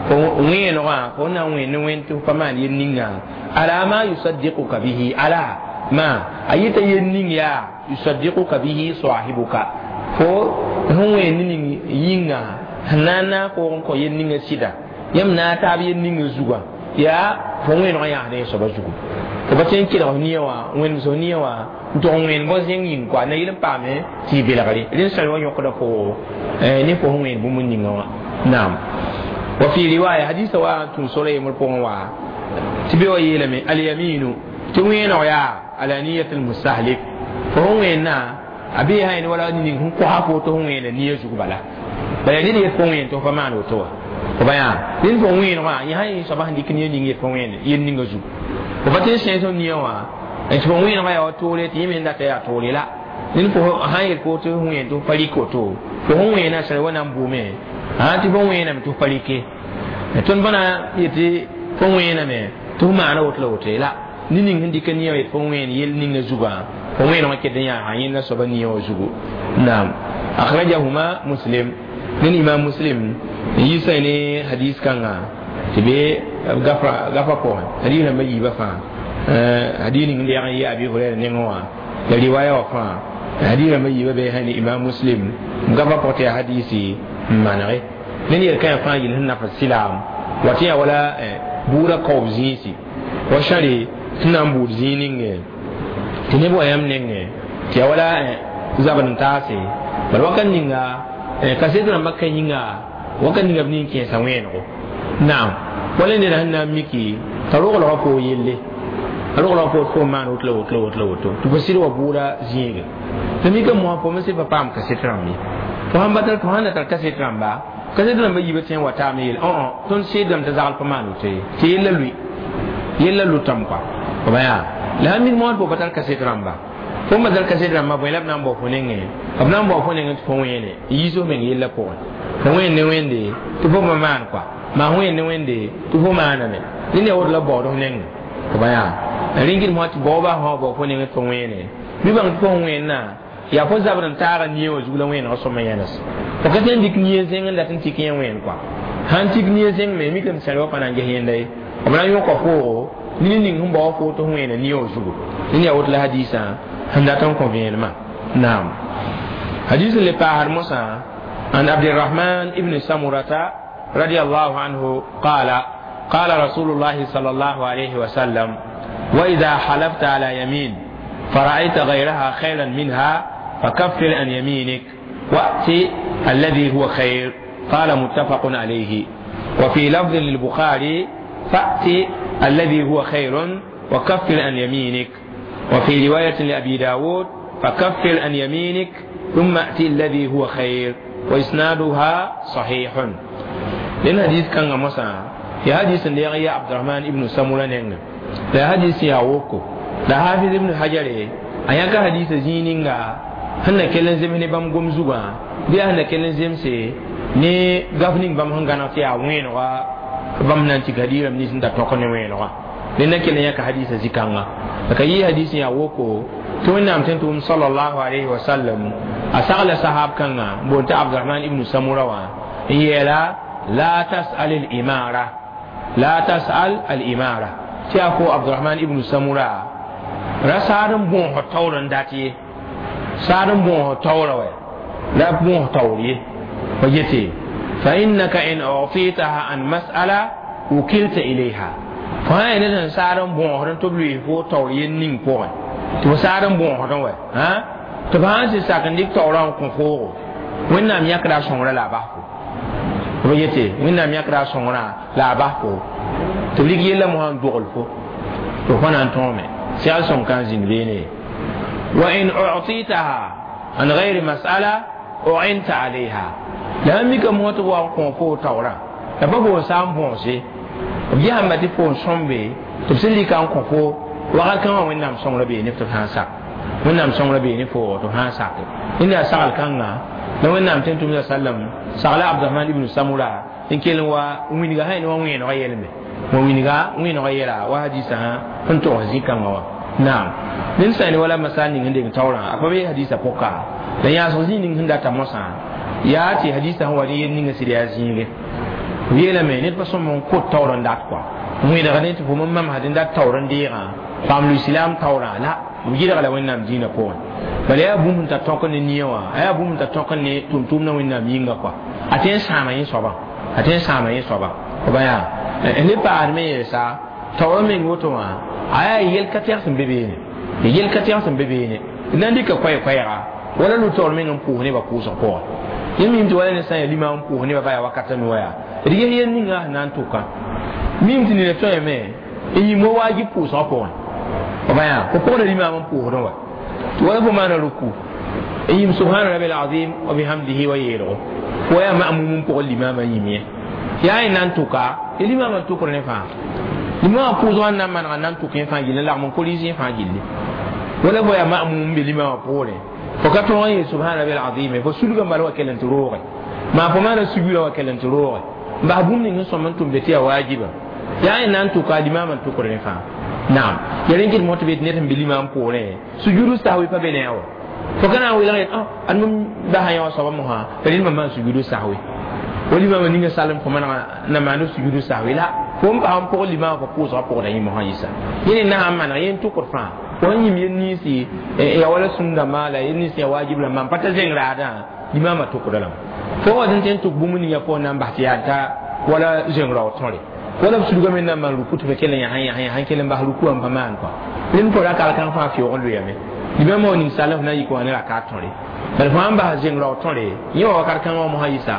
fo wẽenegã fo na n wẽen ne wẽnd tɩ fo pa maan yel ninga ala ma yusaddiquka bihi ala ma a yeta yel ning yaa yusaddiquka bihi sahibuka fo sẽn wẽen ne ning yĩnga sẽn na n naag koog n kõ yel ninga sɩda yãmb na a taab yel ninga zugã yaa fo wẽenegã yãasd yẽ soaba zugu fo pa tõe n kelg f nia wã wẽnems f nia wã n tʋg n wẽen bõn zẽng yĩng koa na yel n paame tɩ y belgre rẽnd sãr wã yõkda fo ne fo sẽn wẽen bũmb ninga wã naam wa fi riwaya hadisa wa tũn sora yembr pʋgẽ wa tɩ be wa yeelame alyaminu tɩ wẽeneg yaa ala niyat almustahlik fo sẽn wẽenna a bee sã yẽnd wala ning sẽn kosa fo tɩ sẽn wẽena nia zug bala bala ned yet fo wẽen tɩ fo pa maan woto wa fo ba yaa ned fo wẽenegã yẽ sã yẽ soaba sẽn dɩk nia ning yet fo wẽen yel ninga zug fo pa tõe n sẽes f nia wã tɩ fo wẽenegã yaa wa toore tɩ yẽ me data yaa toore la ned fo sã n yel fo tɩ f wẽen tɩ f pa rɩk woto fo sẽn wẽena sã wa na n bʋʋme tɩ fo wẽename tɩ f pa rɩke tõnd pa na yetɩ fo wẽename tɩ f maana woto la woto ye la ne ning sẽn dɩka nia yet fo wẽen yel ninga zugã fo wẽenegã ket n yaa yẽnda soaba nia wã zugu naam akhrajahuma muslim nen imam muslim n yiisa ne hadis kãnga tɩ be gafa pʋgẽ hadis rãmba yiibã fãa hadis ning n deeg n yɩ abi hurɛra nengẽ wã la riwaya wã fãa hadis rãmba yiibã be sã ne imam muslim gafa pʋgẽ tɩ yaa hadisi n manege ned yel-kãyã fãa yel sẽn nafs silaam wa tɩ yaa wala buudã kaoob zĩisi wa sãre sẽn na n buud zĩig ninge tɩ neb wa yãmb nengẽ tɩ yaa wala zabd n taase bala wakat ninga kaset rãmbã ka yĩnga wakat ninga b nin kẽesa wẽenego naam wala neda sẽn na n miki t'a roglgã foo yelle a roglgã foo fo maan woto la woto la woto la woto tɩ fo sɩd wa bʋʋda zĩige tɩ mika mosã fo me sɩd pa paam kaset rãmb ye fo sãn ba tar fo sãn na tar kaset rãmba kaset rãmba yiibã tõe n wa taame yel tõnd seedame tɩ zagl pa maan woto ye tɩ yella lʋɩ yella lʋtame kɔa fo ba yaa la sãn mik moosd fo pa tar kaset rãmba fo n pa tar kaset rãmba bõe la b na n bao fo nengẽ b na n bao fo nengẽ tɩ fo wẽene n yiis f meng yella pʋgẽ fo wẽen ne wẽnde tɩ fo pa maan kɔa maa wẽen ne wẽnde tɩ fo maaname rẽnd yaa woto la b baood f nengẽ fo ba yaa rẽn kɩt mosã tɩ baooba sã wa bao fo nengẽ tɩ fo wẽene bɩ bãng tɩ fo sẽn wẽnna yaa fo zabd n taaga nia wã zug la wẽenegã sõma yãnes fo ka tõe n dɩk nia zẽng n dat n tɩk yẽ wẽen kɔa sãn tik nia zẽng me mikame sãr wa pa na n ges yẽnda ye b na n yõka foogo ne ning sẽn bao fo tɩ f wẽena nia wã zugu rẽnd yaa woto la hadiisã sẽn dat n kõ vẽenemã naam hadis n le paasd mosã an abdirahman ibn samurata رضي الله عنه قال قال رسول الله صلى الله عليه وسلم وإذا حلفت على يمين فرأيت غيرها خيرا منها فكفر عن يمينك وأت الذي هو خير قال متفق عليه وفي لفظ للبخاري فأت الذي هو خير وكفر عن يمينك وفي رواية لأبي داود فكفر عن يمينك ثم أت الذي هو خير وإسنادها صحيح لأن حديث كان مسا يا حديث يا عبد الرحمن ابن سمرة لا حديث يا وكو la hafiz ibn hajar a yãka hadisa zĩig ninga sẽn na kell n zems ne bãmb gom zugã bɩ yaa sẽn na kell n zemse ne gaf ning bãmb sẽn gãneg tɩ yaa wẽenega bãmb na n tik hadiirãmb nins n ta tõk ne wẽenega ned na kell n yãka hadisa zĩ-kãnga la ka yɩ hadis n yaa woko tɩ wẽnnaam tõe n tʋʋm salallahu alayhi wa sallam a sagla sahab kãnga n boond tɩ abdurahman ibnu samura wã n yeela la tasal al imara la tasal al imara tɩ yaa fo abdurahman ibnu samura ra saad n bõosd taoor n dat ye saad n bõosd taoora wɛ la bõos taoor ye fa yete fa innaka in utitaha an mas'ala wukilta ilayha fo sã yaa ned sẽn saad n bõosd n tɩ b lʋɩs fo taoor yel ning pʋgẽ tɩ fo saad n bõosdẽ wɛ tɩ f sãn sɩ sak n dɩk taoorã n kõ foogo wẽnnaam yãkda a sõngrã la a bas fo b yete wẽnnaam yãkda a sõngrã la a bas fo tɩ b rɩk yella mosã n dogl fo tɩ fo na n tõome سيال سون كان زين بيني وإن أعطيتها عن غير مسألة u'inta alayha la mika mo to wa ko fo tawra la ba bo sam bonse b yãmba tɩ fo n sõmbe tɩ b sẽn lika n kõ fo wakat kãngã wẽnnaam sõngrã bee ne tɩ f sã n sak wẽnnaam sõngrã bee ne fo tɩ f sã n sake rẽnda yaa sagl kãnga la wẽnnaam tẽn tʋmda sallam sagla abdurahman ibnu samura n kell n wa wĩnga sã ne wa wẽenegã yɛlme wa wĩnga wẽenegã yɛla wa hadisã sẽn togs zĩ-kãngã wã naam ned sã ne wala masal ning sẽn deng taoorã a pa be hadisã pʋka la yãasg zĩ ning sẽn data mosã yaa tɩ hadisã sẽn wa ne yel ninga sɩd yaa zĩige yeelame ned pa sõm n kot taoor n dat kɔa wẽneg ne tɩ fo mam mamsd n dat taoor n deegã paam lislaam taoorã la b yɩlga la wẽnnaam dĩinã pʋgẽ bala yaa bũmb sẽn tar tõk ne nia wã a yaa bũmb sẽn tar tõk ne tʋm-tʋmdã wẽnnaam yĩnga kɔa a tõe n sãama yẽ soabã a tõe n sãama yẽ soaba b yaa ne paasdme yɛɛsa taoorã meng woto wã a yaa yɛl ka tɛg sẽn be beene yɛl ka tɛg sẽn be beene d na n dɩka koɛɛ-koɛɛga wala lu taoor meng n pʋʋs nebã pʋʋsg pʋgẽ yẽ mim tɩ wala ne sã n yaa lima n pʋʋs nebã ba yaa wakata me wa yaa d ges yel ninga sẽn na n tʋka mim tɩ neda tõeme n yĩm wa waajib pʋʋsgã pʋgẽ b yaa fo pʋgda limaam n pʋʋsdẽ wa tɩ wala fo maana ruku n yĩm subhana rabi alazim wa bihamdihi wa yeelgo fo yaa ma'mum n pʋgẽ limaamã yĩm ye yaa y na n tʋka y limaamã n tʋkr ne fãa limaamã pʋʋsgã n na n manega n na n tʋk yẽ fãa gilli n lagm n koris yẽ fãa gilli wala fo yaa ma'mum n be limaamã poorẽ fo ka tõog n yeel subhana rabi alazim fo sulga n bala wa kell n tɩ rooge maa fo maana sugurã wa kell n tɩ rooge n bas bũmb ning sẽn sõm n tʋm be tɩ yaa waajiba yaa y na n tʋka limaamã n tʋkr ne fãa naam ya rẽn kɩt mosã tɩ be tɩ ned sẽn be limaam poorẽ sujudu sahwi pa be ne a wa fo ka na n welg yet ad mam basa yã wã soaba mosã rẽnd mam maan sujudu sahwi wa limaamã ninga salem fo manega na maand sujudu sahwi la fo n bas n pʋg limaamã fo pʋʋsgã pʋgda yẽ mosã yɩsa yẽ ne na sãn maneg yẽ n tʋkd fãa fo sẽn yĩm yel ninsi ya wala sũn-dãmbã la yel nins ya waajib rãmbã n pa ta zẽng raadã limaamã tʋkda lame fo wa tɩ n tʋk bũmb ninga pʋgẽ na n bas tɩ yaa ta wala zẽng rao tõre wala b sulga me na n maan ruku tɩ fa kell n yãs n kell n bas ruku wã n pa maan kɔa rẽnd fo raka kãng fãa fɩʋg n loyame limaamã wa ning sall f na n yik wã ne raka tõre bala fo sãn bas zẽng rao tõre yẽ wa wakat kãngã wã mosã yɩsa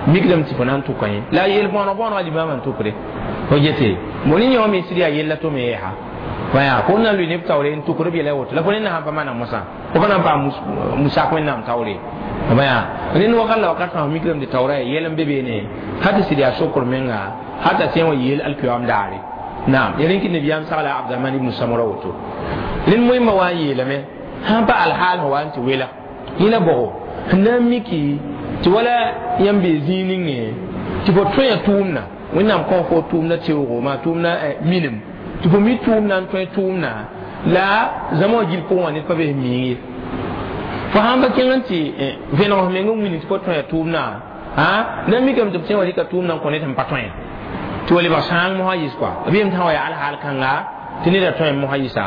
mikdame tɩ fo na n tʋka yẽ la a yel bõoneg bõonegã limaamã n tʋkre fo gete mo ne yẽ wã me sɩd yaa yella tʋ me yɛɛsa waya fo na n lʋɩ neb taoore n tʋkr b yɛla woto la fo ne na sãn pa maneg mosã fo pa na n paam musak wẽnnaam taoore baya rẽnd wakat la wakat fãa mikdame tɩ taoora yaa yɛl n be beene ha tɩ sɩd yaa sokr menga hata tẽ wã yeel alkiyoam daare naam ya rẽn kɩ nabiyaam sagla abdurahman ibnu samura woto rẽnd moẽmba wa n yeelame sãn pa alhaal sẽn wa n tɩ wela yẽ la bʋgo sẽn na n miki tɩ wala yãmb bee zĩig ningẽ tɩ fo tõe tʋʋmdã wẽnnaam kõ fo tʋʋmdã teoogo maa tʋʋmdã minim tɩ fo mi tʋʋmdã n tõe tʋʋmdã la zãma wã gill pʋgẽ wã ned pa be sẽn miig ye fo sãn pa kẽng n tɩ vẽneg f meng n wĩnd tɩ fo tõe tʋʋmdã na n mikame tɩ b tẽ wa rɩka tʋʋmdã n kõ ned sẽn pa tõe tɩ wa lebg sãang mosã yɩs kɔa b yem tã wa yaa alhaal kãnga tɩ neda tõe mosã yɩsa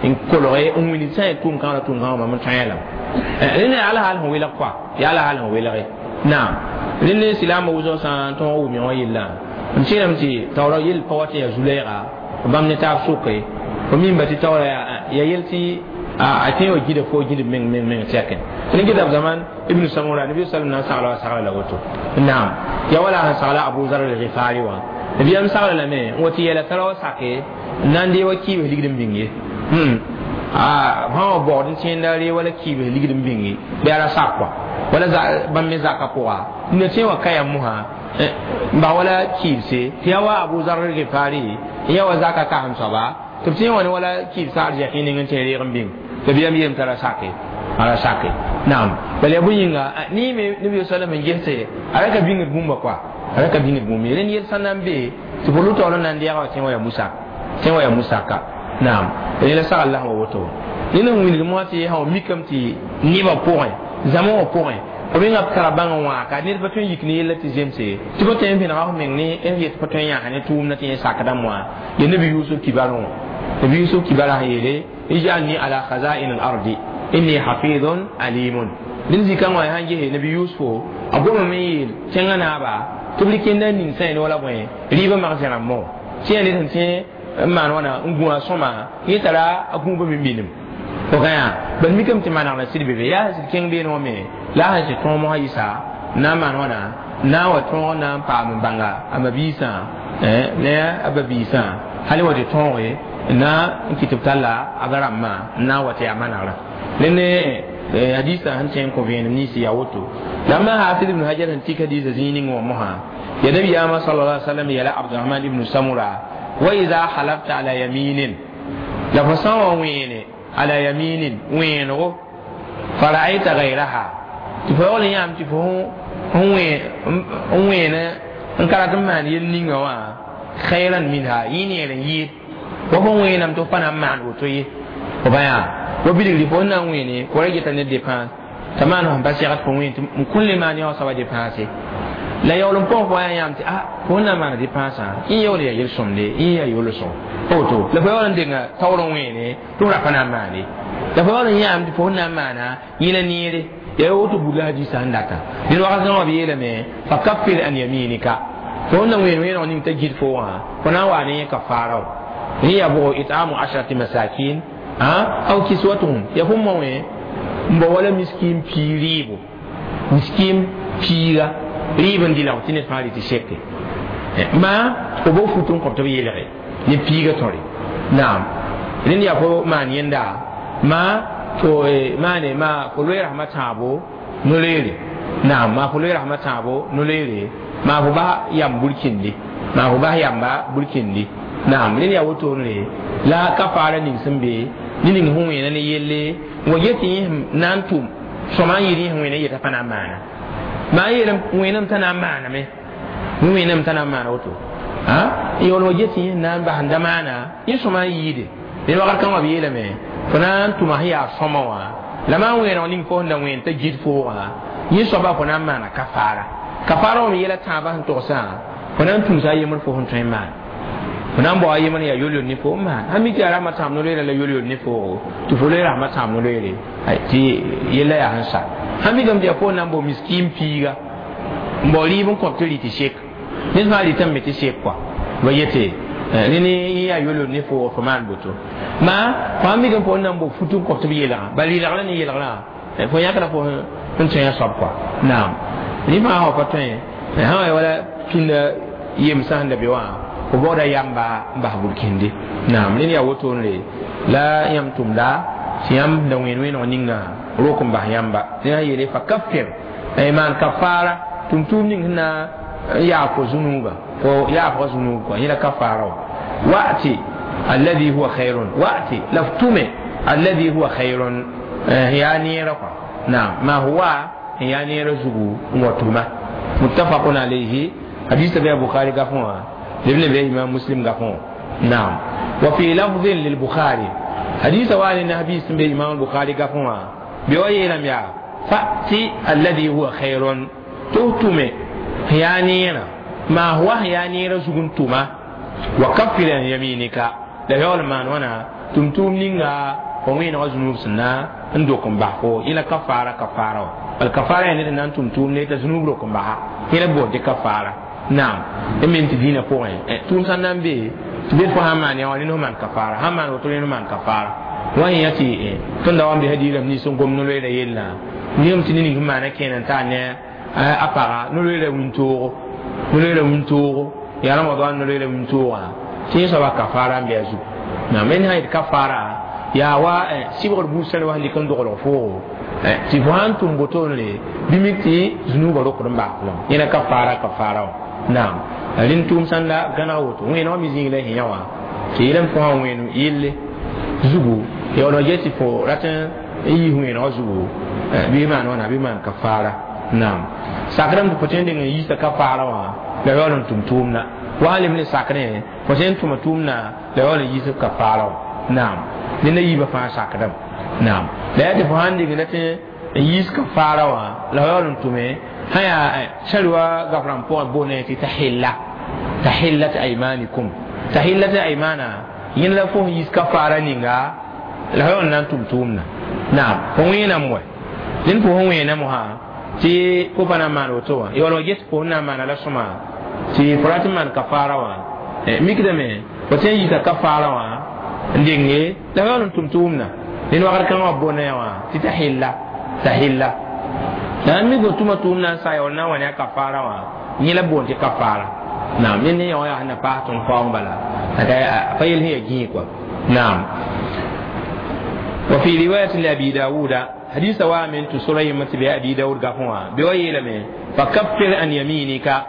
n kolge n wĩnd sã n yaa tʋʋm kãng la tʋʋm kãngã mam n tõe lame rẽnd yaa alhaal sẽn welg kɔa yaa alhaal sẽn welge naam rẽnd ne silaambã wʋsg sã n tõog wʋm wã yellã n kẽerame tɩ taoora yell pa wa tɩ yaa zu-lɛɛga bãmb ne taab soke fo mimba tɩ taoora yaa yel tɩ a tẽ wa gida fo gĩdb meng meng meng tɛkẽ rẽn gɩdab zaman ibnu samura nabi sallam na n sagla wa sagla la woto naam ya wala sẽn sagla abu zar al-ghifari wã nabiyam sagla lame n wa tɩ yɛla tara wa sake n na n dee wa kiibs ligd n bĩng ye sã wa baood n tẽenda ree wala kiibs ligd n bĩnge bɩ a ra sak kɔa wala bãmb me zaka pʋga nina tẽ wa ka yam mosã n bas wala kiibse tɩ yaa wa abu zar al-ghifari n yaa wa zaka kasem soaba tɩ b tẽ wã ne wala kiibsã arzɛk yẽ ning n tẽ reeg n bĩng nabiyam yeelame t'a ra sake a ra sake naam bala yaa bõe-yĩnga ne me nabi sallam n gese a ra ka bĩngd bũmba kɔa a ra ka bĩngd bũmb ye rẽnd yel sã na n be tɩ fo lʋ taoor n na n deega wa tẽ wa yaa musaka naam rẽ la sagl la sã wa woto ned n wilg mosã tɩ sã wa mikame tɩ nebã pʋgẽ zãma wã pʋgẽ f menga b tara bãng n wãaka ned pa tõe n yik ne yella tɩ zemse tɩ pa tõe n vẽnega f meng ne n yet pa tõe n yãs ne tʋʋmdã tɩ yẽ sakdã moã ya nabi yusuf kibarẽ wã nabi yusuf kibarã sẽn yeele ij'alni ala khaza'in al-ardi inni hafidun alimun rẽnd zĩ-kãng wã sãn gese nabi yusufo a gomame n yeel tẽngã naaba tɩ b rɩk yẽnda n ning sã ne wala bõe rɩɩbã magsẽrã mo tɩ yaa ned sẽn tẽ n maan wãna n gũ a sõma yẽ tara a gũubã me minim fo ka yaa bal mikame tɩ manegl n sɩd be be yaa sẽn sɩd kẽng beene wã me la a sẽn sɩd tõog mosã yɩsa na n maan wãna na n wa tõog n na n paam n bãnga a ma-biisã ne a ba-biisã hal wa tɩ tõoge na n kɩ tɩ b talla a ba rãmbã n na n wa tɩ yaa manegrã rẽnd Hadisa sẽn tẽ n kõ vẽenem nins yaa woto la ma Hafiz ibn Hajar sẽn tik hadisa zĩig ning wã mosã ya nabiyaamã sallallahu alaihi wasallam yɛla Abdurahman ibn Samura wa idha halafta ala yaminin la fo sã n wa wẽene ala yaminin wẽenego fara'ayta gayraha tɩ fo yaool n yãam tɩ fo n wẽene n ka rat n maan yel ninga wã khayran minha yẽ neer n yɩɩd wa fo wẽename tɩ f pa na n maan woto ye fo pa yaa wa bilgri fo na n wẽene fo ra geta ne dépense t'a maan fõn pa segd fo wẽen tɩ n kũn le maan yã wã soaba dépense la yaool n pʋgẽ fo yaa yãam tɩ a fo na n maana dépensã yẽ yaool yaa yel-sõmde yẽ yaa yol-sõm woto la fo yaool n denga taoor n wẽene tɩ f ra pa na n maane la fo yaool n yãam tɩ fo na n maana yẽ la neere yaa woto buud la hadisa sẽn data ned wakat kãngã b yeelame fa kaffir an yaminika fo na wẽen wẽeneg ning t'a git fo wã fo na n waa ne yẽ kafaara yẽ yaa bʋgo itamu ashrati masakin aw kiswatuhum ya fo ma wẽ n bao wala miskin pii rɩɩbo miskin piiga rɩɩb n dɩ la tɩ ned fãa rɩ tɩ seke maa fo bo fut n kõb tɩ b yeelge ne piiga tõre naam rẽnd yaa fo maan yẽnda maa fo maane maa fo loe rasmã tãabo no-loeere naam maa fo loe rasmã tãabo no-loeere maa fo bas yam burkindi maa fo bas yamba burkindi naam rẽnd yaa wotone la kafaara ning sẽn be ne ning sẽn wẽena ne yelle wa get tɩ yẽ na n tʋm sõma n yɩɩd yẽ sẽn wẽna yeta pa na n maana maa yeelame wẽename t'a na n maaname wẽename t'a na n maana woto yaool wa get tɩ yẽ na n bas n da maana yẽ sõma n yɩɩde ned wakat kãngã b yeelame fo na n tʋma sẽn yaa sõma wã la maa wẽeneg ning fo sẽn da wẽen t'a git foogã yẽ soaba fo na n maana kafaara kafaara wã me yɛla tãabã sẽn togsã fo na n tũusa a yembr fo sẽn tõe n maan fo na n bao a yembr yaa yol-yol ne fo n maan sã mi tɩ yaa rasmã tãab no-loeerã la yol-yol ne foogo tɩ fo loe rasmã tãab no-loeere tɩ yella yaa sẽn sa sã mikame tɩ yaa fo na n bao miskin piiga n bao rɩɩb n kõb tɩ rɩ tɩ sek ned fãa rɩtame me tɩ sek kɔa ba yete rẽnd yẽ yaa yol-yol ne foogo fo maan boto maa fo sã mikame fo n na n bao fut n kõb tɩ b yeelgã bala rɩlgrã ne yeelgrã fo yãkra fo n tõe a soab kɔa naam rẽ fãa wa pa tõe sã wa wala pĩnda yemsã sẽn da be wã fo baooda yamba n bas burkinde naam rẽnd yaa wotone la yãmb tʋmda tɩ yãmb da wẽen wẽeneg ninga rok n bas yãmba rẽ sã yeele fa kaffir maan kafaara tʋm-tʋʋm ning sẽn na n yaag fo zũnuuba fo yaafga zũnuub kɔa yẽ la kafaara wã wa'ti alladhi huwa khairun wa'ti la f tʋme alladhi huwa khairun yaa neerã kɔa naam maa huwa yaa neerã zugu n wa tʋma muttafaqun alayhi hadisa bɩ a Bukhari gafẽ wã لابن بي إمام مسلم غفون نعم وفي لفظ للبخاري حديث وان النبي سن بي إمام البخاري غفون بوي لم يا فأتي الذي هو خير توتمي هيانينا ما هو هيانينا سكنتما وكفر عن يمينك لا يول ما وانا تمتم نينغا وين غزنوب سنا ندوكم بحو إلى كفارة كفارة الكفارة يعني أن تمتم ليت ذنوب لكم بها إلى بود كفارة naam d me tɩ dĩinã pʋgẽ tʋʋm sã n na n be tɩ bed fo sã n maan yã wã rẽnd f maan kafaara sã n maan woto rẽnd f maan kafaara wã yẽ tɩ tõnd da wa n besa diirame nins n gom no-loeera yellã ningame tɩ ne ning sẽn maana kẽena n taa ne a paga no-loeera wĩntoogo no-loeera wĩntoogo yaa ramadan no-loeera wĩntoogã tɩ yẽ soaba kafaara n be a zugu naam rẽnd sã yet kafaara yaa wa sɩbgr buud sẽn wa sẽn dɩk n doglg foogo tɩ fo sã n tʋm botoonre bɩ mik tɩ zũnuubã rokd n baas lame yẽna kafaara kafaara wã naam rẽnd tʋʋm sãn da gãneg woto wẽenegã me zĩig la sẽn yã wã tɩ yeelame fo sã n wẽen yelle zugu yaool wa get tɩ fo rat n yiis wẽenegã zugu bɩ maan wãna bɩ maan kafaara naam sakrame tɩ fo tõe n deng n yiisa kafaara wã la yaool n tʋm tʋʋmda wa sã lem ne sakrẽ fo sẽn tʋma tʋʋmda la yaool n yiis kafaara wã naam ned a yiibã fãa sakdame naam la yaa tɩ fo sãn deng rat n yiis kafaara wã la yaool n tʋme sã yaa sã gafrãmb pʋgẽ boonã tɩ tahilla tahillat aymanikum tahillat aymana yẽnd la fo sẽn yiis kafaara ninga la yaool n na n tʋm tʋʋmda naam fo wẽename wɛ rẽnd fo sẽn wẽename wã tɩ fo pa na n maan woto wã yaool wa ges fo sẽn na n maana la sõma tɩ fo rat n maan kafaara wã mikdame fo tõe n yiisa kafaara wã n denge la yaool n tʋm tʋʋmda ned wakat kãngã wã boonã yã wã tɩ tahilla tahilla la n mi fo tʋma tʋʋmda n sa yaool na n wa ne a kafaara wã yẽ la boond tɩ kafaara naam ned ne yã wã yaa sẽn na paas tõnd kaoong bala pa yel sẽn yaa gĩig kɔa naam وفي رواية لأبي داود حديث وامن تسريمة بأبي داود قفوا بويلم فكفر عن يمينك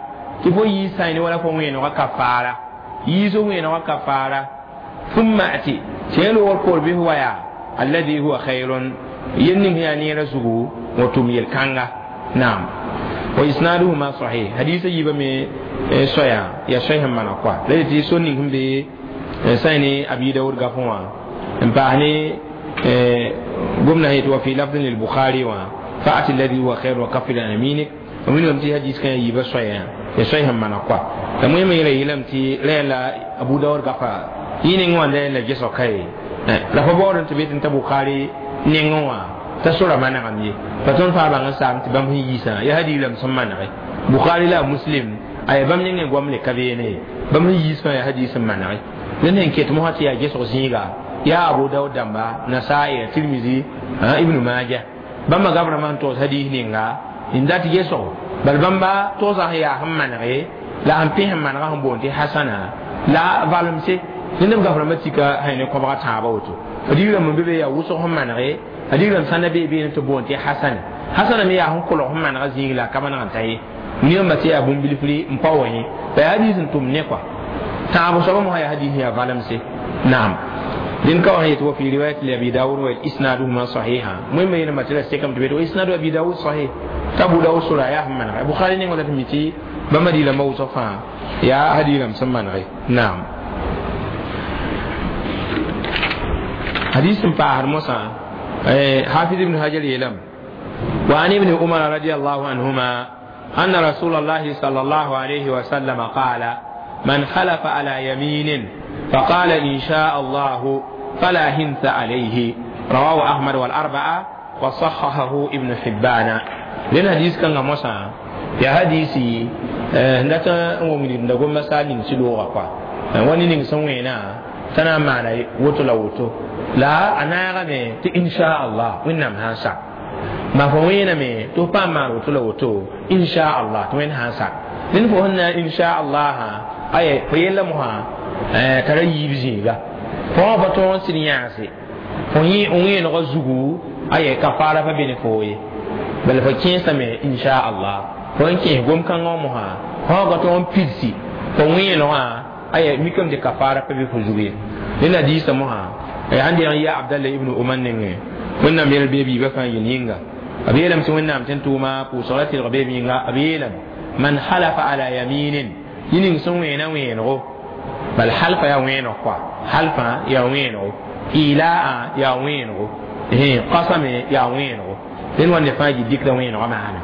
تفو يساين ولا فوين وكفارة يسوين وكفارة ثم أتي تيلو والقول به ويا الذي هو خير ينم هي نير زغو وتميل كانغا نعم وإسنادهما صحيح حديث يبا مي سويا يا شيخ من أقوى لذي سنهم بي سايني أبي داود قفوا امباهني قمنا هي وفي لفظ للبخاري فأتي الذي هو خير وكفر عن يمينك ومن يمتي حديث كان يبا سويا يا شيخ من أقوى المهم يلا يلمتي لا أبو داود قفا ينين وان لا جسو كاي لا فبورن تبيت انت بخاري نينوا تسورة ما نعم يه فتون فابان سام تبام هي يسا يا هدي لم سما نعي بخاري لا مسلم أي بام نينغ قوم لكبيني بام هي يسا يا هدي سما نعي لأن كيت مهاتي يا جسو زيغا يا أبو داود دمبا نسائي ترمذي ابن ماجه بام غبر من توس هدي نينغا إن ذات جسو بل بام توسا هي هم نعي لا هم فيهم من غهم بونتي حسنة لا فالمسي لأن غبر ما تيكا هيني كبرة تابوتو هدي لم بيبي يا وسو هم نعي هدي لم سنة بيبي نتبونتي حسن حسن مي يا هم كلهم من غزيغ لا كمان غنتاي نيوم بتي أبوم بلفلي مباوي فهدي سنتم نقوى تابو سبب ما هي هدي هي فالمسي نعم لأن كون هي في رواية لأبي داود وإسنادهما صحيحة مهم هنا ما تلا سكم تبيت وإسناد أبي داود صحيح تابو داود سورة يا هم من بخاري نقول تمتي بما دي لما وصفها يا هدي لم سمى نعم حديث فاهر موسى حافظ ابن حجر يلم وعن ابن عمر رضي الله عنهما أن رسول الله صلى الله عليه وسلم قال من حلف على يمين فقال إن شاء الله فلا هنث عليه رواه أحمد والأربعة وصححه ابن حبان لأن حديث كان موسى يا حديثي ndata ngomini ndago masali nsiloga kwa wani ning songwena tana mana woto la woto la anaga me ti insha Allah winnam hansa ma fo wena me to pa ma woto la woto insha Allah to wen hansa nin fo hanna insha Allah aye fo yella mo ha tara yibzinga fo ba to sinyase fo yi onwe no zugu aye kafara fa bene fo ye bal fa kinsa me insha Allah fo ki gom kan mo ha fo ga to pidsi fo wi no ha aye mikam de kafara fa be fo zugu ni na disa mo ha ay andi an ya Abdallah ibn Umar ne wannan mel bebi ba kan yininga abiyelam ti wannan tan tuma ku salati rabebi nga abiyelam man halafa ala yaminin yinin sun wena weno bal halfa ya weno kwa halfa ya weno ilaa ya weno eh qasame ya weno den wonde faji dikra weno maana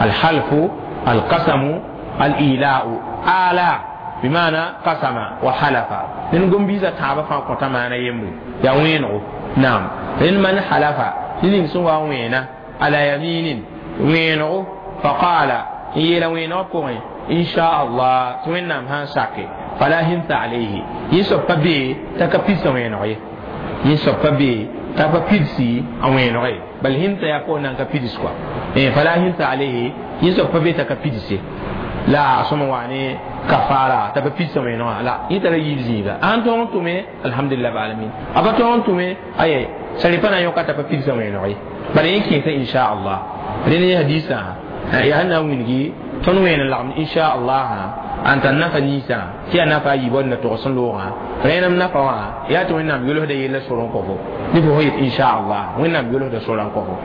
al halfu al qasamu al ilaa'u ala بمعنى قسم وحلف لن قم بيزا تعبا فانقطع معنا يمري يا وينو نعم لن من حلف لن سوى وينا على يمين وينو فقال يلا وينو كوين إن شاء الله توينا مهان ساكي فلا هنت عليه يسوب بي تكبيس وينو يسوب بي تكبيسي وينو بل هنت يكون نكبيس كوا فلا هنت عليه يسوب بي تكبيسي لا سمواني كفارة تبى بيس وينو لا يترى يزيد أنتم تومي الحمد لله بالعالمين أبا تومي أي سليفنا يوكا تبى بيس وينو بل يمكن إن شاء الله لأن حديثا يا هنا وينجي تنوين اللعم إن شاء الله أنت نفى نيسا تي نفى يبون نتوصل لوها رينا نفى يا توينا بيقولوا هذا يلا سورون كفو نبغى إن شاء الله وين بيقولوا هذا سورون كفو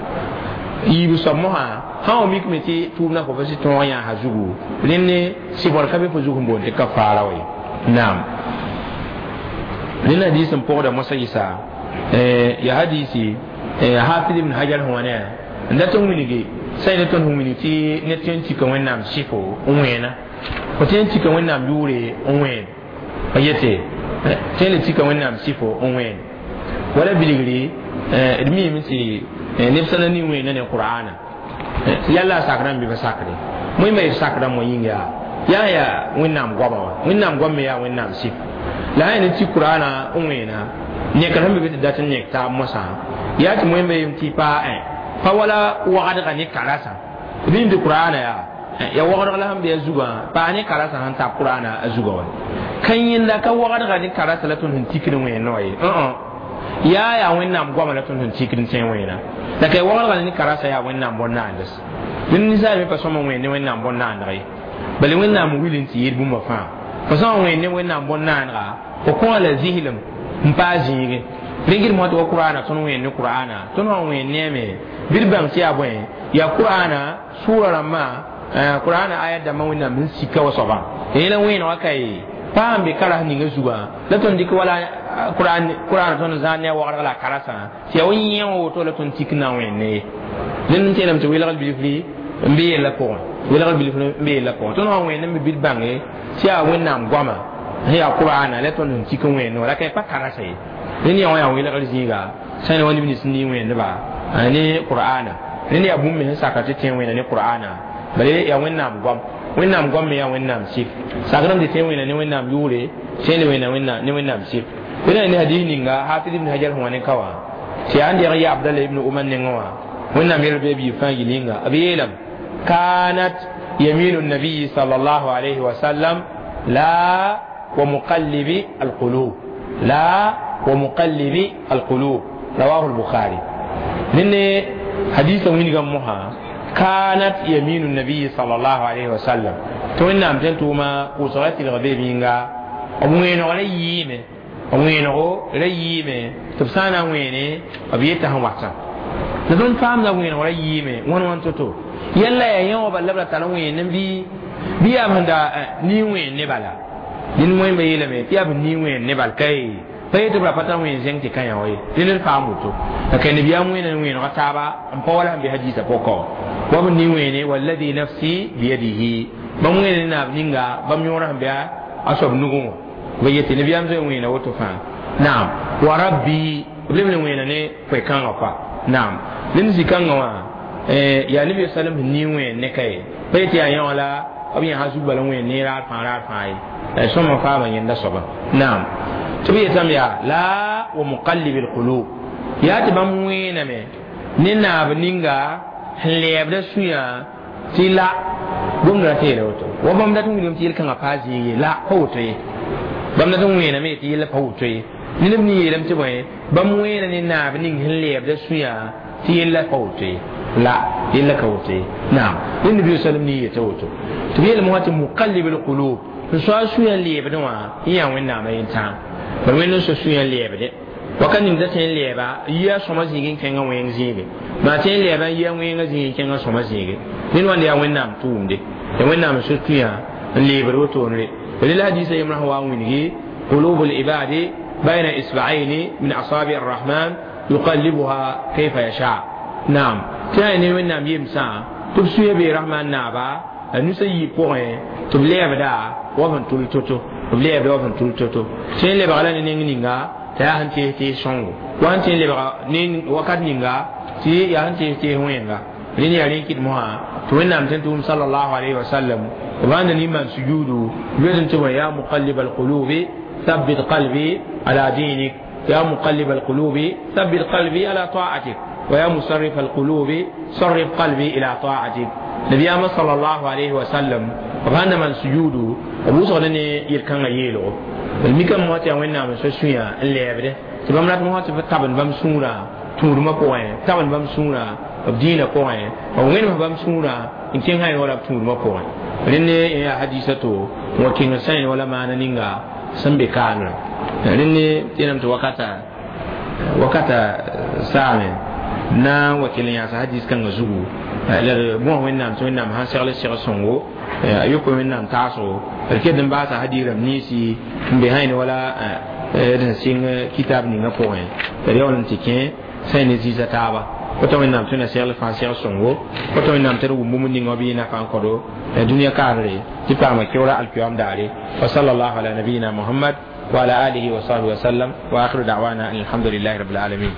yibu somoha ha o mikme ti tubna ko fasi ton ya ha zugu lenne sibor kabe fo zugu bon te kafara way naam lenne hadisin po da masa isa ya hadisi hafiz ibn hajar huwana nda ton winigi sai ne ton winigi ti ne ton ti kan wannan sifo unwena ko tin ti kan wannan yure unwen ayete tin ti kan wannan sifo unwen wala biligri mi mi ti neb sã na ning wẽna ne qur'ana yalla sakra n bɩ pa sakre mõe me sakra mo yĩnga yaa yaa wẽnnaam goama wã wẽnnaam goam me yaa wẽnnaam sɩf la sã ne tɩ qur'ana n wẽna nekr sẽn be tɩ dat n nek taab mosã yaa tɩ mõe me tɩ pa pa wala wagdga ne karasã tɩ tɩ qur'ana yaa ya wagdg la sẽn be a zugã paa ne karasã sẽn tab qur'ana a zugã wa ka yẽnda ka wagdga ne karasã la tõnd sẽn tikd wẽnna wa ye. Yaa wẽnnaam goama la tõnd sẽn tikd n tẽ wẽena la ka wagrga ne karasa yaa wẽnnaam bõn-naands dẽnd ninsaal me pa sõma wẽen ne wẽnnaam bõn-naandg ye bala wẽnnaam wil n tɩ yɩɩd bũmba fãa fo sã n wẽen ne wẽnnaam bõn-naandga fo kõ la zislem n paa zĩige rẽngd mosã tɩ wa qur'ana tõnd wẽen ne qur'ana tõnd sã n wẽen neeme bɩ d bãng tɩ yaa bõe yaa qur'ana sʋʋra rãmbã qur'ana ayat dãmbã wẽnnaam sẽn sika wa soabã yẽla wẽenegã ka ye paa n be karas ninga zugã la tõnd dɩk wala qur'an tõnd zãad ne a wagrg la a karasã tɩ yaa wa yẽ wã woto la tõnd tik n na n wẽen ne ye dẽnd n teelame tɩ welgl bilfri n be yella pʋgẽ welgl bilfr n be yella pʋgẽ tõnd sã n wẽend n be bɩ d bãnge tɩ yaa wẽnnaam goama sẽn yaa qur'ana la tõnd sẽn tik n wẽend wã la ka pa karasa ye rẽnd yaa wã yaa welgr zĩiga sã ne wa neb nins n nii wẽendba ne qur'ana rẽnd yaa bũmb me sẽn saka tɩ tẽ wẽnda ne qur'ana bala yaa wẽnnaam goam wẽnnaam goam me yaa wẽnnaam sɩf sakrame tɩ tẽ wẽnda ne wẽnnaam yʋʋre tẽnd wẽnda ne wẽnnaam sɩf wẽna ne hadis ninga hafiz ibn hajar sẽn wa ne ka wã tɩ yaa n deg ya abdallah ibn umar nengẽ wã wẽnnaam yɛl bɩ biig fãa yil yĩnga b yeelame كانت يمين النبي صلى الله عليه وسلم لا ومقلب القلوب لا ومقلب القلوب رواه البخاري لأن حديث من موها كانت يمين النبي صلى الله عليه وسلم تو إن أمتن توما قصرت الغبي بينغا ومين غليمه ومين غليمه تبسانا ويني أبيتها وحسن لذن فهم لا وين غليمه وان وان تتو yalla ya yẽwã bala la tara wẽen bɩ bɩ yaa sẽn da nii wẽen ne bala dĩn wẽn ba yeelame tɩ yaa b nii wẽen ne bal kae pa yetɩ b ra pa tar wẽen zẽng tɩ ka yã wa ye dẽnd d paam woto la ka nabiyaam wẽena wẽenega taaba n pa wala sẽn be hadiisã pʋkã wa b nii wẽene walladi nafsi biyadihi bãmb wẽena ne naab ninga bãmb yõora sẽn be a soab nugẽ wã ba yetɩ nabiyaam zoe wẽena woto fãa naam wa rabbi b leb le wẽena ne koe-kãngã koa naam ned zĩ-kãngã wã yaa nabi sallam sẽn nii wẽen ne ka ye pa yetɩ yaa yã wã la b yãsa zug bala wẽen ne raar fãa raar fãa ye sõma faama yẽnda soaba naam tɩ b yetame yaa la wa muqallib alqulub yaa tɩ bãmb wẽename ne naab ninga sẽn lɛɛbda sũyã tɩ la gomda ra tɩ yeela woto wa bãmb dat n wilgame tɩ yel-kãngã paa zĩig ye la pa woto ye bãmb dat n wẽename tɩ yella pa woto ye ne neb ne yeelame tɩ bõe bãmb wẽena ne naab ning sẽn lɛɛbda sũyã tɩ yella pa woto ye la yella ka woto ye naam ne nabi sallam ne yeta woto tɩ b yeelame wã tɩ muqallib alqulub n soa sũyã lɛɛbdẽ wã yẽ yaa wẽnnaamã yentãag bal wẽnd n so sũyã lɛɛbde wakat ning da tõe n lɛɛba yia sõma zĩig n kẽngã wẽng zĩige maa tõe n lɛɛba n yia wẽngã zĩig n kẽngã sõma zĩige ned wãnd yaa wẽnnaam tʋʋmde ya wẽnnaam n so sũyã n leebd wotone re la hadisa yembrã sẽn wa n wilgi قلوب العباد بين إصبعين من أصابع الرحمن يقلبها كيف يشاء نعم تاني وẽnnaam yemsã tɩ b sũyã bee rahman naaba a nusa yiib pʋgẽ tɩ b lɛɛbda wa sẽn tʋl to-to b lɛɛbda wa sẽn tʋl to-to tõe n lebga la ne neng ninga tɩ yaa sẽn tees tees sõngo wa sẽn tõe n lebga ne wakat ninga tɩ yaa sẽn tees tees wẽnga rẽnd yaa rẽ kɩt mosã tɩ wẽnnaam tõe n tʋʋm sallallahu alayhi wa sallam b ãnda nin-maan sujuudu b yetẽ tɩ bõe ya muqallib alqulubi ثبت قلبي على دينك يا مقلب القلوب ثبت قلبي على طاعتك ويا مصرف القلوب صرف قلبي إلى طاعتك نبي صلى الله عليه وسلم وكان من سجوده أبو صغرني يركان يلو الميكا مواتي وين نام سوسويا اللي يبده تبام رات مواتي تابن بام سورا تورما بوين تابن بام سورا دينا بوين وين بام سورا إن كان هاي ولا تورما بوين لأن يا حديثته وكين سين ولا ما نينغا sẽn be kaamrã rẽnd ne tẽename tɩ wakata wakata saame na n wa kell n yaasa hadis kãngã zugu la d bõs wẽnnaam tɩ wẽnnaam sãn segl seg sõngo a yokoe wẽnnaam taasgo d ket n baasa hadis rãmb ninsi n be sãyn wala d sẽn sɩng kitab ninga pʋgẽ tɩ d yaool n tɩ kẽ sã ne zĩisa taaba woto wẽnnaam tõe na segl fãa seg sõngo woto wẽnnaam tɩ d wʋm bũmb ninga bɩ nafa n kõdo dũniyã kaanre tɩ paama keoora alkiyam daare wa sallallahu ala nabiyina muhammad wa ala alihi wa sahbihi wa sallam wa akhiru da'wana alhamdulillahi rabbil alamin.